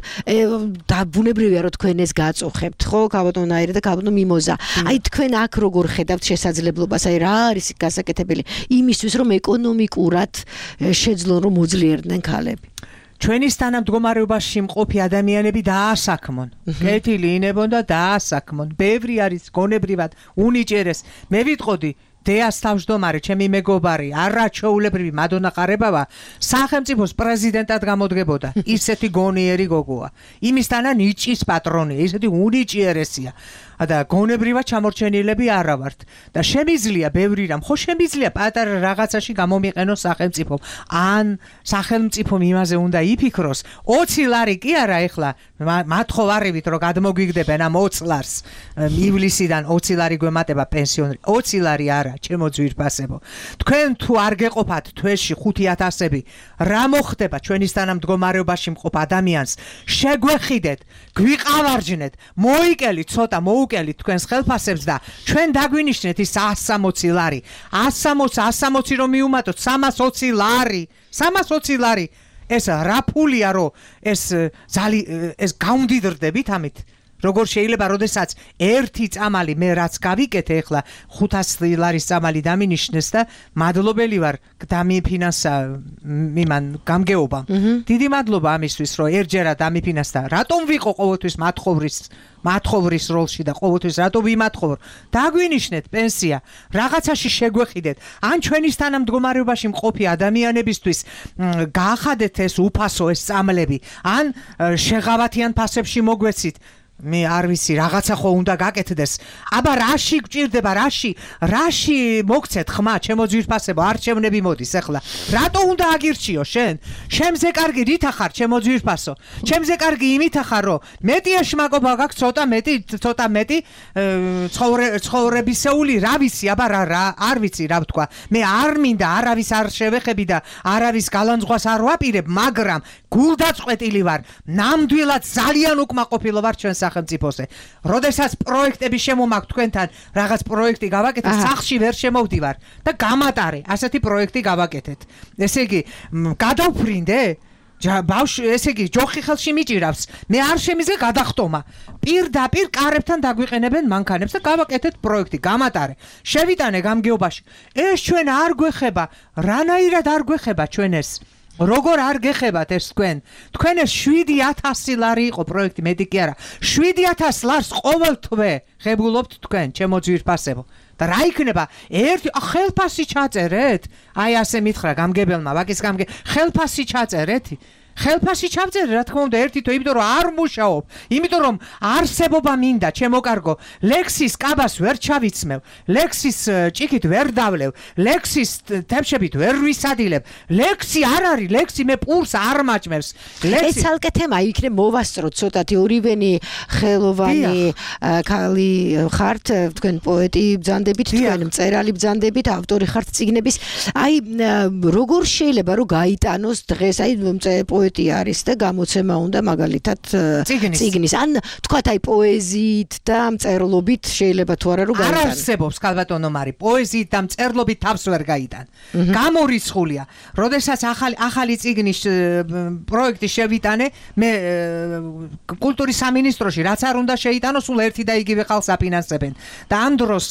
და ბუნებრივია რომ თქვენ ეს გაწუხებთ, ხო, ქალბატონო აირე და ქალბატონო მიმოზა. აი თქვენ აქ როგორ ხედავთ შესაძლებლობას, აი რა არის გასაკეთებელი იმისთვის რომ ეკონომიკურად შეძლონ რომ მოძლიერდნენ ქალები? ჩვენი თანამდგომარეობაში მყოფი ადამიანები დაასაქმონ. კეთილი ინებონ და დაასაქმონ. ბევრი არის გონებრივად უნიჭერეს. მე ვიტყოდი დეას თავმჯდომარე, ჩემი მეგობარი, არაჩვეულებრივი მადონა ყარებავა სახელმწიფოს პრეზიდენტად გამოდგებოდა. ისეთი გონიერი გოგოა. იმისთანა ნიჭის პატრონია, ისეთი უნიჭიერესია. და გონებრივად ჩამორჩენილები არა ვართ და შემიძლია ბევრი რამ, ხო შემიძლია პატარა რაღაცაში გამომიყენოს სახელმწიფომ. ან სახელმწიფომ იმაზე უნდა იფიქროს, 20 ლარი კი არა ეხლა, მათხოვარებით რომ გადმოგვიგდებენ ამ 20 ლარს ივლისიდან 20 ლარი გვემატება პენსიონერი, 20 ლარი არა, ჩემო ძვირფასებო. თქვენ თუ არ გეყოფათ თვეში 5,000-ები, რა მოხდება ჩვენის თანამდგომარეობაში მყოფ ადამიანს? შეგვეხიდეთ, გვიყავარჯნეთ, მოიკელით ცოტა უკელით თქვენს ხელფასებს და ჩვენ დაგვინიშნეთ ის 160 ლარი. 160 რომ მიუმატოთ 320 ლარი. 320 ლარი. ეს რა ფულია რომ ეს გაუნდიდრდებით ამით? როგორ შეიძლება, როდესაც ერთი წამალი მე რაც გავიკეთე ახლა 500 ლარის წამალი დამინიშნეს და მადლობელი ვარ დამიფინანსა მიმან გამგეობა. დიდი მადლობა ამისთვის, რომ ერთჯერად დამიფინანსდა. რატომ ვიყო ყოველთვის მათხოვრის როლში და ყოველთვის რატო ვიმათხოვრო? დაგვინიშნეთ პენსია, რაღაცაში შეგვეხიდეთ. ან ჩვენის თანამდგომარეობაში მყოფი ადამიანებისთვის გაახადეთ ეს უფასო ეს წამლები, ან შეღავათიან ფასებში მოგვეცით. მე არ ვიცი, რაღაცა ხო უნდა გაკეთდეს. აბა რაში გჭირდება, რაში მოგცეთ ხმა, ჩემო ძვირფასებო, არჩევნები მოდის ახლა. რატო უნდა აგირჩიო შენ? შემზე კარგი რითა ხარ, ჩემო ძვირფასო? ჩემზე კარგი იმითა ხარ, რომ მეტი ეშმაკობა გაქვს, ცოტა მეტი ცხოვრებისეული, რა ვიცი, აბა არ ვიცი რა ვთქვა. მე არ მინდა არავის არ შევეხები და არავის გალანძღვას არ ვაპირებ, მაგრამ გულდაწყვეტილი ვარ, ნამდვილად ძალიან უკმაყოფილო ვარ ჩვენ სახელმწიფოზე. როდესაც პროექტები შემომაქვს თქვენთან, რაღაც პროექტი გავაკეთეთ, სახში ვერ შემოვდივარ და გამატარე, ასეთი პროექტი გავაკეთეთ. ესე იგი, გადავფრინდე? ბავშვი ესე იგი ჯოხი ხელში მიჭირავს მე არ შემიძლია გადახტომა პირდაპირ კარებთან დაგვიყენებენ მანქანებს და გავაკეთეთ პროექტი გამატარე შევიტანე გამგეობაში ეს ჩვენ არ გვეხება რანაირად არ გვეხება ჩვენ ეს როგორ არ გეხებათ ეს თქვენ ეს 7000 ლარი იყო პროექტი მეტი კი არა 7000 ლარს ყოველ თვე ღებულობთ თქვენ ჩემო ძვირფასებო და რა იქნება ერთი ხელფასი ჩაწერეთ აი ასე მითხრა გამგებელმა ვაკის ხელფასი ჩაწერეთ ხელფასი ჩავწერე რა თქმა უნდა ერთი თვე იმიტომ რომ არ მუშაობ იმიტომ რომ არსებობა მინდა ჩემო კარგო ლექსის კაბას ვერ ჩავიცმევ ლექსის ჭიქით ვერ დავლევ ლექსის თებშებით ვერ ვისადილებ ლექსი არ არის ლექსი მე პურს არ მაჭმევს ეს ცალკე თემა იქნებ მოვასწროთ ცოტათი ორივენი ხელოვანი ქალი ხართ თქვენ პოეტი ბრძანდებით თქვენ მწერალი ბრძანდებით ავტორი ხართ წიგნების აი როგორ შეიძლება რომ გაიტანოს დღეს აი არის და გამოცემა უნდა მაგალითად წიგნის ან თქვათ აი პოეზიით და მწერლობით შეიძლება თუ არა რომ გაიტანოს არ არსებობს ქალბატონო მარი პოეზიით და მწერლობით თავს ვერ გაიტან გამორიცხულია როდესაც ახალი წიგნის პროექტი შევიტანე მე კულტურის სამინისტროში რაც არ უნდა შეიტანოს სულ ერთი და იგივე ხალხს აფინანსებენ და ამ დროს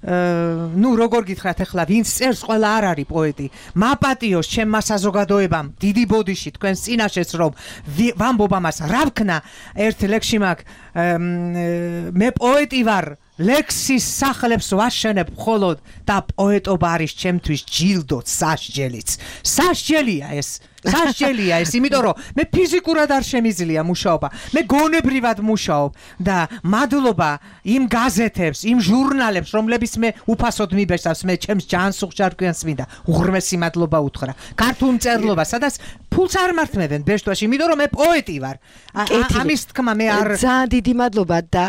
ნუ როგორ გითხრათ ახლა ვინც წერს ყველა არ არის პოეტი მაპატიოს ჩემმა საზოგადოებამ დიდი ბოდიში თქვენს წინაშეც რომ ვამბობ ამას რა ვქნა ერთ ლექსში მაგ მე პოეტი ვარ ლექსის სახლებს ვაშენებ მხოლოდ და პოეტობა არის ჩემთვის ჯილდო სასჯელია ეს იმიტომ რომ მე ფიზიკურად არ შემიძლია მუშაობა მე გონებრივად მუშაობ და მადლობა იმ გაზეთებს იმ ჟურნალებს რომლებიც მე უფასოდ მიბეჭდავს მე ჩემს ჯანს უხჭარგვიანს მინდა უღრმესი მადლობა უთხრა ქართულ მწერლობა სადაც ფულს არ მართმევენ ბეჭდვაში იმიტომ რომ მე პოეტი ვარ ამის თქმა მე არ ძალიან დიდი მადლობა და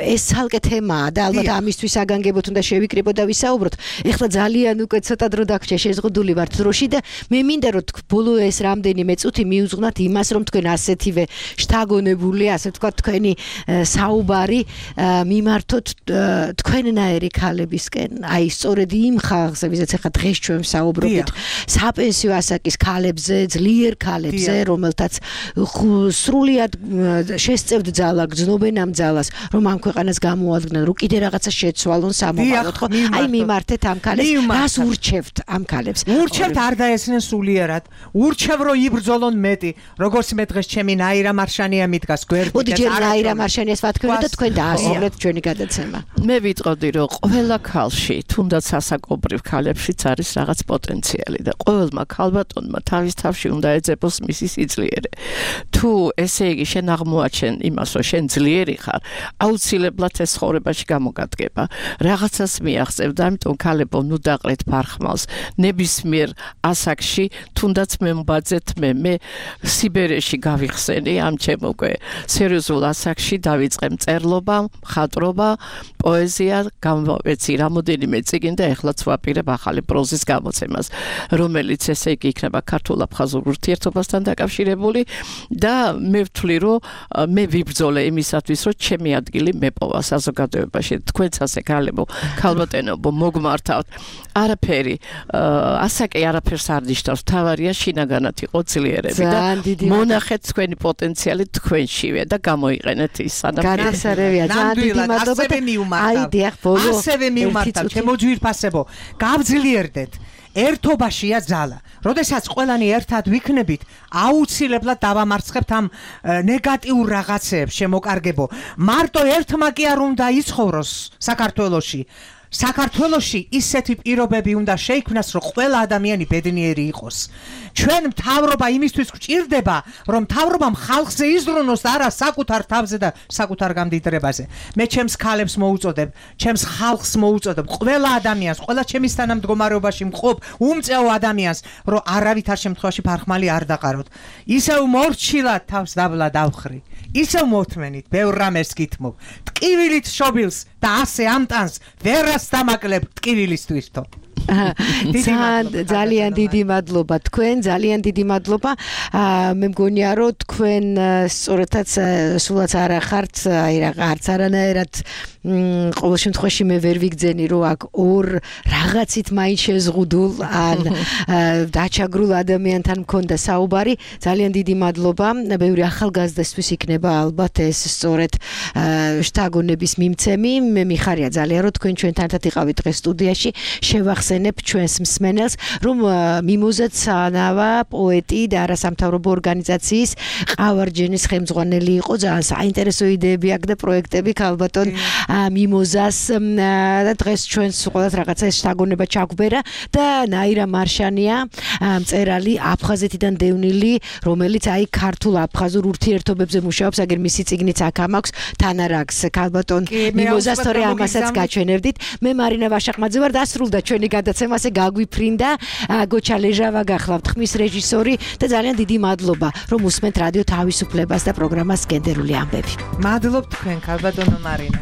ეს ცალკე თემაა და ალბათ ამისთვის აგანგებოთ უნდა შევიკრიბოთ და ვისაუბროთ ეხლა ძალიან უკვე ცოტა დრო დაგვრჩა შეზღუდული ვართ დროში და მე მინდა რომ ბოლო ეს რამდენიმე წუთი მიუძღვნათ იმას რომ თქვენ ასეთივე შთაგონებული ასე ვთქვათ თქვენი საუბარი მიმართოთ თქვენნაირი ქალებისკენ აი სწორედ იმ ხალხზე ვისაც ახლა დღეს ჩვენ საუბრობთ საპენსიო ასაკის ქალებზე ძლიერ ქალებზე რომელთაც სრულიად შესწევთ ძალა გრძნობენ ამ ძალას რომ ამ ქვეყანას გამოადგნენ რომ კიდე რაღაცა შეცვალონ სამომავლოდ ხო აი მიმართეთ ამ ქალებს რას ურჩევთ ამ ქალებს ურჩევთ არ დაესწრნენ სულიერად ურჩევ რომ იბრძოლონ მეტი როგორც მე დღეს ჩემი ნაირა მარშანია მიდგას გვერდით მოდი ჯერ ნაირა მარშანიას ვათქვით და თქვენ დაასრულეთ ჩვენი გადაცემა მე ვიტყოდი რომ ყველა ქალში თუნდაც ასაკობრივ ქალებშიც არის რაღაც პოტენციალი და ყოველმა ქალბატონმა თავის თავში უნდა ეძებოს მისი სიძლიერე თუ ესე იგი შენ აღმოაჩენ იმას რომ შენ ძლიერი ხარ აუცილებლად ეს ცხოვრებაში გამოგადგება რაღაცას მიაღწევ და ამიტომ ქალებო ნუ დაყრეთ ფარხმალს ნებისმიერ ასაკში თუნდაც მე მბაძეთ მე სიბერეში გავიხსენი ამ ჩემ უკვე სერიოზულ ასაკში დავიწყე მწერლობა მხატვრობა პოეზია გამოვეცი რამოდენიმე წიგნი და ეხლაც ვაპირებ ახალი პროზის გამოცემას რომელიც ესე იგი იქნება ქართულ-აფხაზურ ურთიერთობასთან დაკავშირებული და მე ვთვლი რომ მე ვიბრძოლე იმისათვის რომ ჩემი ადგილი მეპოვა საზოგადოებაში თქვენც ასე ქალბატონებო მოგმართავთ არაფერი ასაკი არაფერს არ ნიშნავს თავარია შინაგანად იყო ძლიერები და მონახეთ თქვენი პოტენციალი თქვენშივე და გამოიყენეთ ის სანამ განასარევია ძალიან დიდი მადლობა აი დიახ ბოლო ასევე მივმართავ ჩემო ძვირფასებო გავძლიერდეთ ერთობაშია ძალა როდესაც ყველანი ერთად ვიქნებით აუცილებლად დავამარცხებთ ამ ნეგატიურ რაღაცებს შემოკარგებო მარტო ერთმა კი არ უნდა იცხოვროს საქართველოში ისეთი პირობები უნდა შეიქმნას, რომ ყველა ადამიანი ბედნიერი იყოს. ჩვენ მთავრობა იმისთვის გვჭირდება, რომ მთავრობამ ხალხზე იზრუნოს და არა საკუთარ თავზე და საკუთარ გამდიდრებაზე. მე ჩემს ქალებს მოუწოდებ, ჩემს ხალხს მოუწოდებ, ყველა ადამიანს, ყველა ჩემის თანამდგომარეობაში მყოფ უმწეო ადამიანს, რომ არავითარ შემთხვევაში ფარხმალი არ დაყაროთ. ისევ მორჩილად თავს დაბლა დავხრი. ისევ მოთმენით, ბევრ რამეს გითმობ. ტკივილით შობილს და ასე ამტანს ვერას დამაკლებ ტკივილისთვისთო. ძალიან დიდი მადლობა თქვენ, ძალიან დიდი მადლობა. მე მგონია რომ თქვენ სწორედაც სულაც არ ახართ, აი რაღაც არანაირად ყოველ შემთხვევაში მე ვერ ვიგძენი რომ აქ ორ რაღაცით მაინც შეზღუდულ ან დაჩაგრულ ადამიანთან მქონდა საუბარი. ძალიან დიდი მადლობა. ბევრი ახალგაზრდისთვის იქნება ალბათ ეს სწორედ შთაგონების მიმცემი. მე მიხარია ძალიან რომ თქვენ ჩვენთან ერთად იყავით დღეს სტუდიაში. შევახსენებ ჩვენს მსმენელს რომ მიმოზაცანავა პოეტი და არასამთავრობო ორგანიზაციის ყავარჯენის ხელმძღვანელი იყო. ძალიან საინტერესო იდეები აქვს და პროექტები ქალბატონ მიმოზას და დღეს ჩვენს ყოველთ რაღაცა ეს შთაგონება ჩაგვბერა და ნაირა მარშანია მწერალი აფხაზეთიდან დევნილი რომელიც აი ქართულ აფხაზურ ურთიერთობებზე მუშაობს აგერ მისი წიგნიც აქ ამაქვს თან არ აქვს ქალბატონ მიმოზას თორე ამასაც გაჩვენებდით. მე მარინა ვაშახმაძე ვარ დასრულდა ჩვენი გადაცემა ასე გაგვიფრინდა გოჩა ლეჟავა გახლავთ ხმის რეჟისორი და ძალიან დიდი მადლობა რომ უსმენთ რადიო თავისუფლებას და პროგრამას გენდერული ამბები. მადლობ თქვენ ქალბატონო მარინა.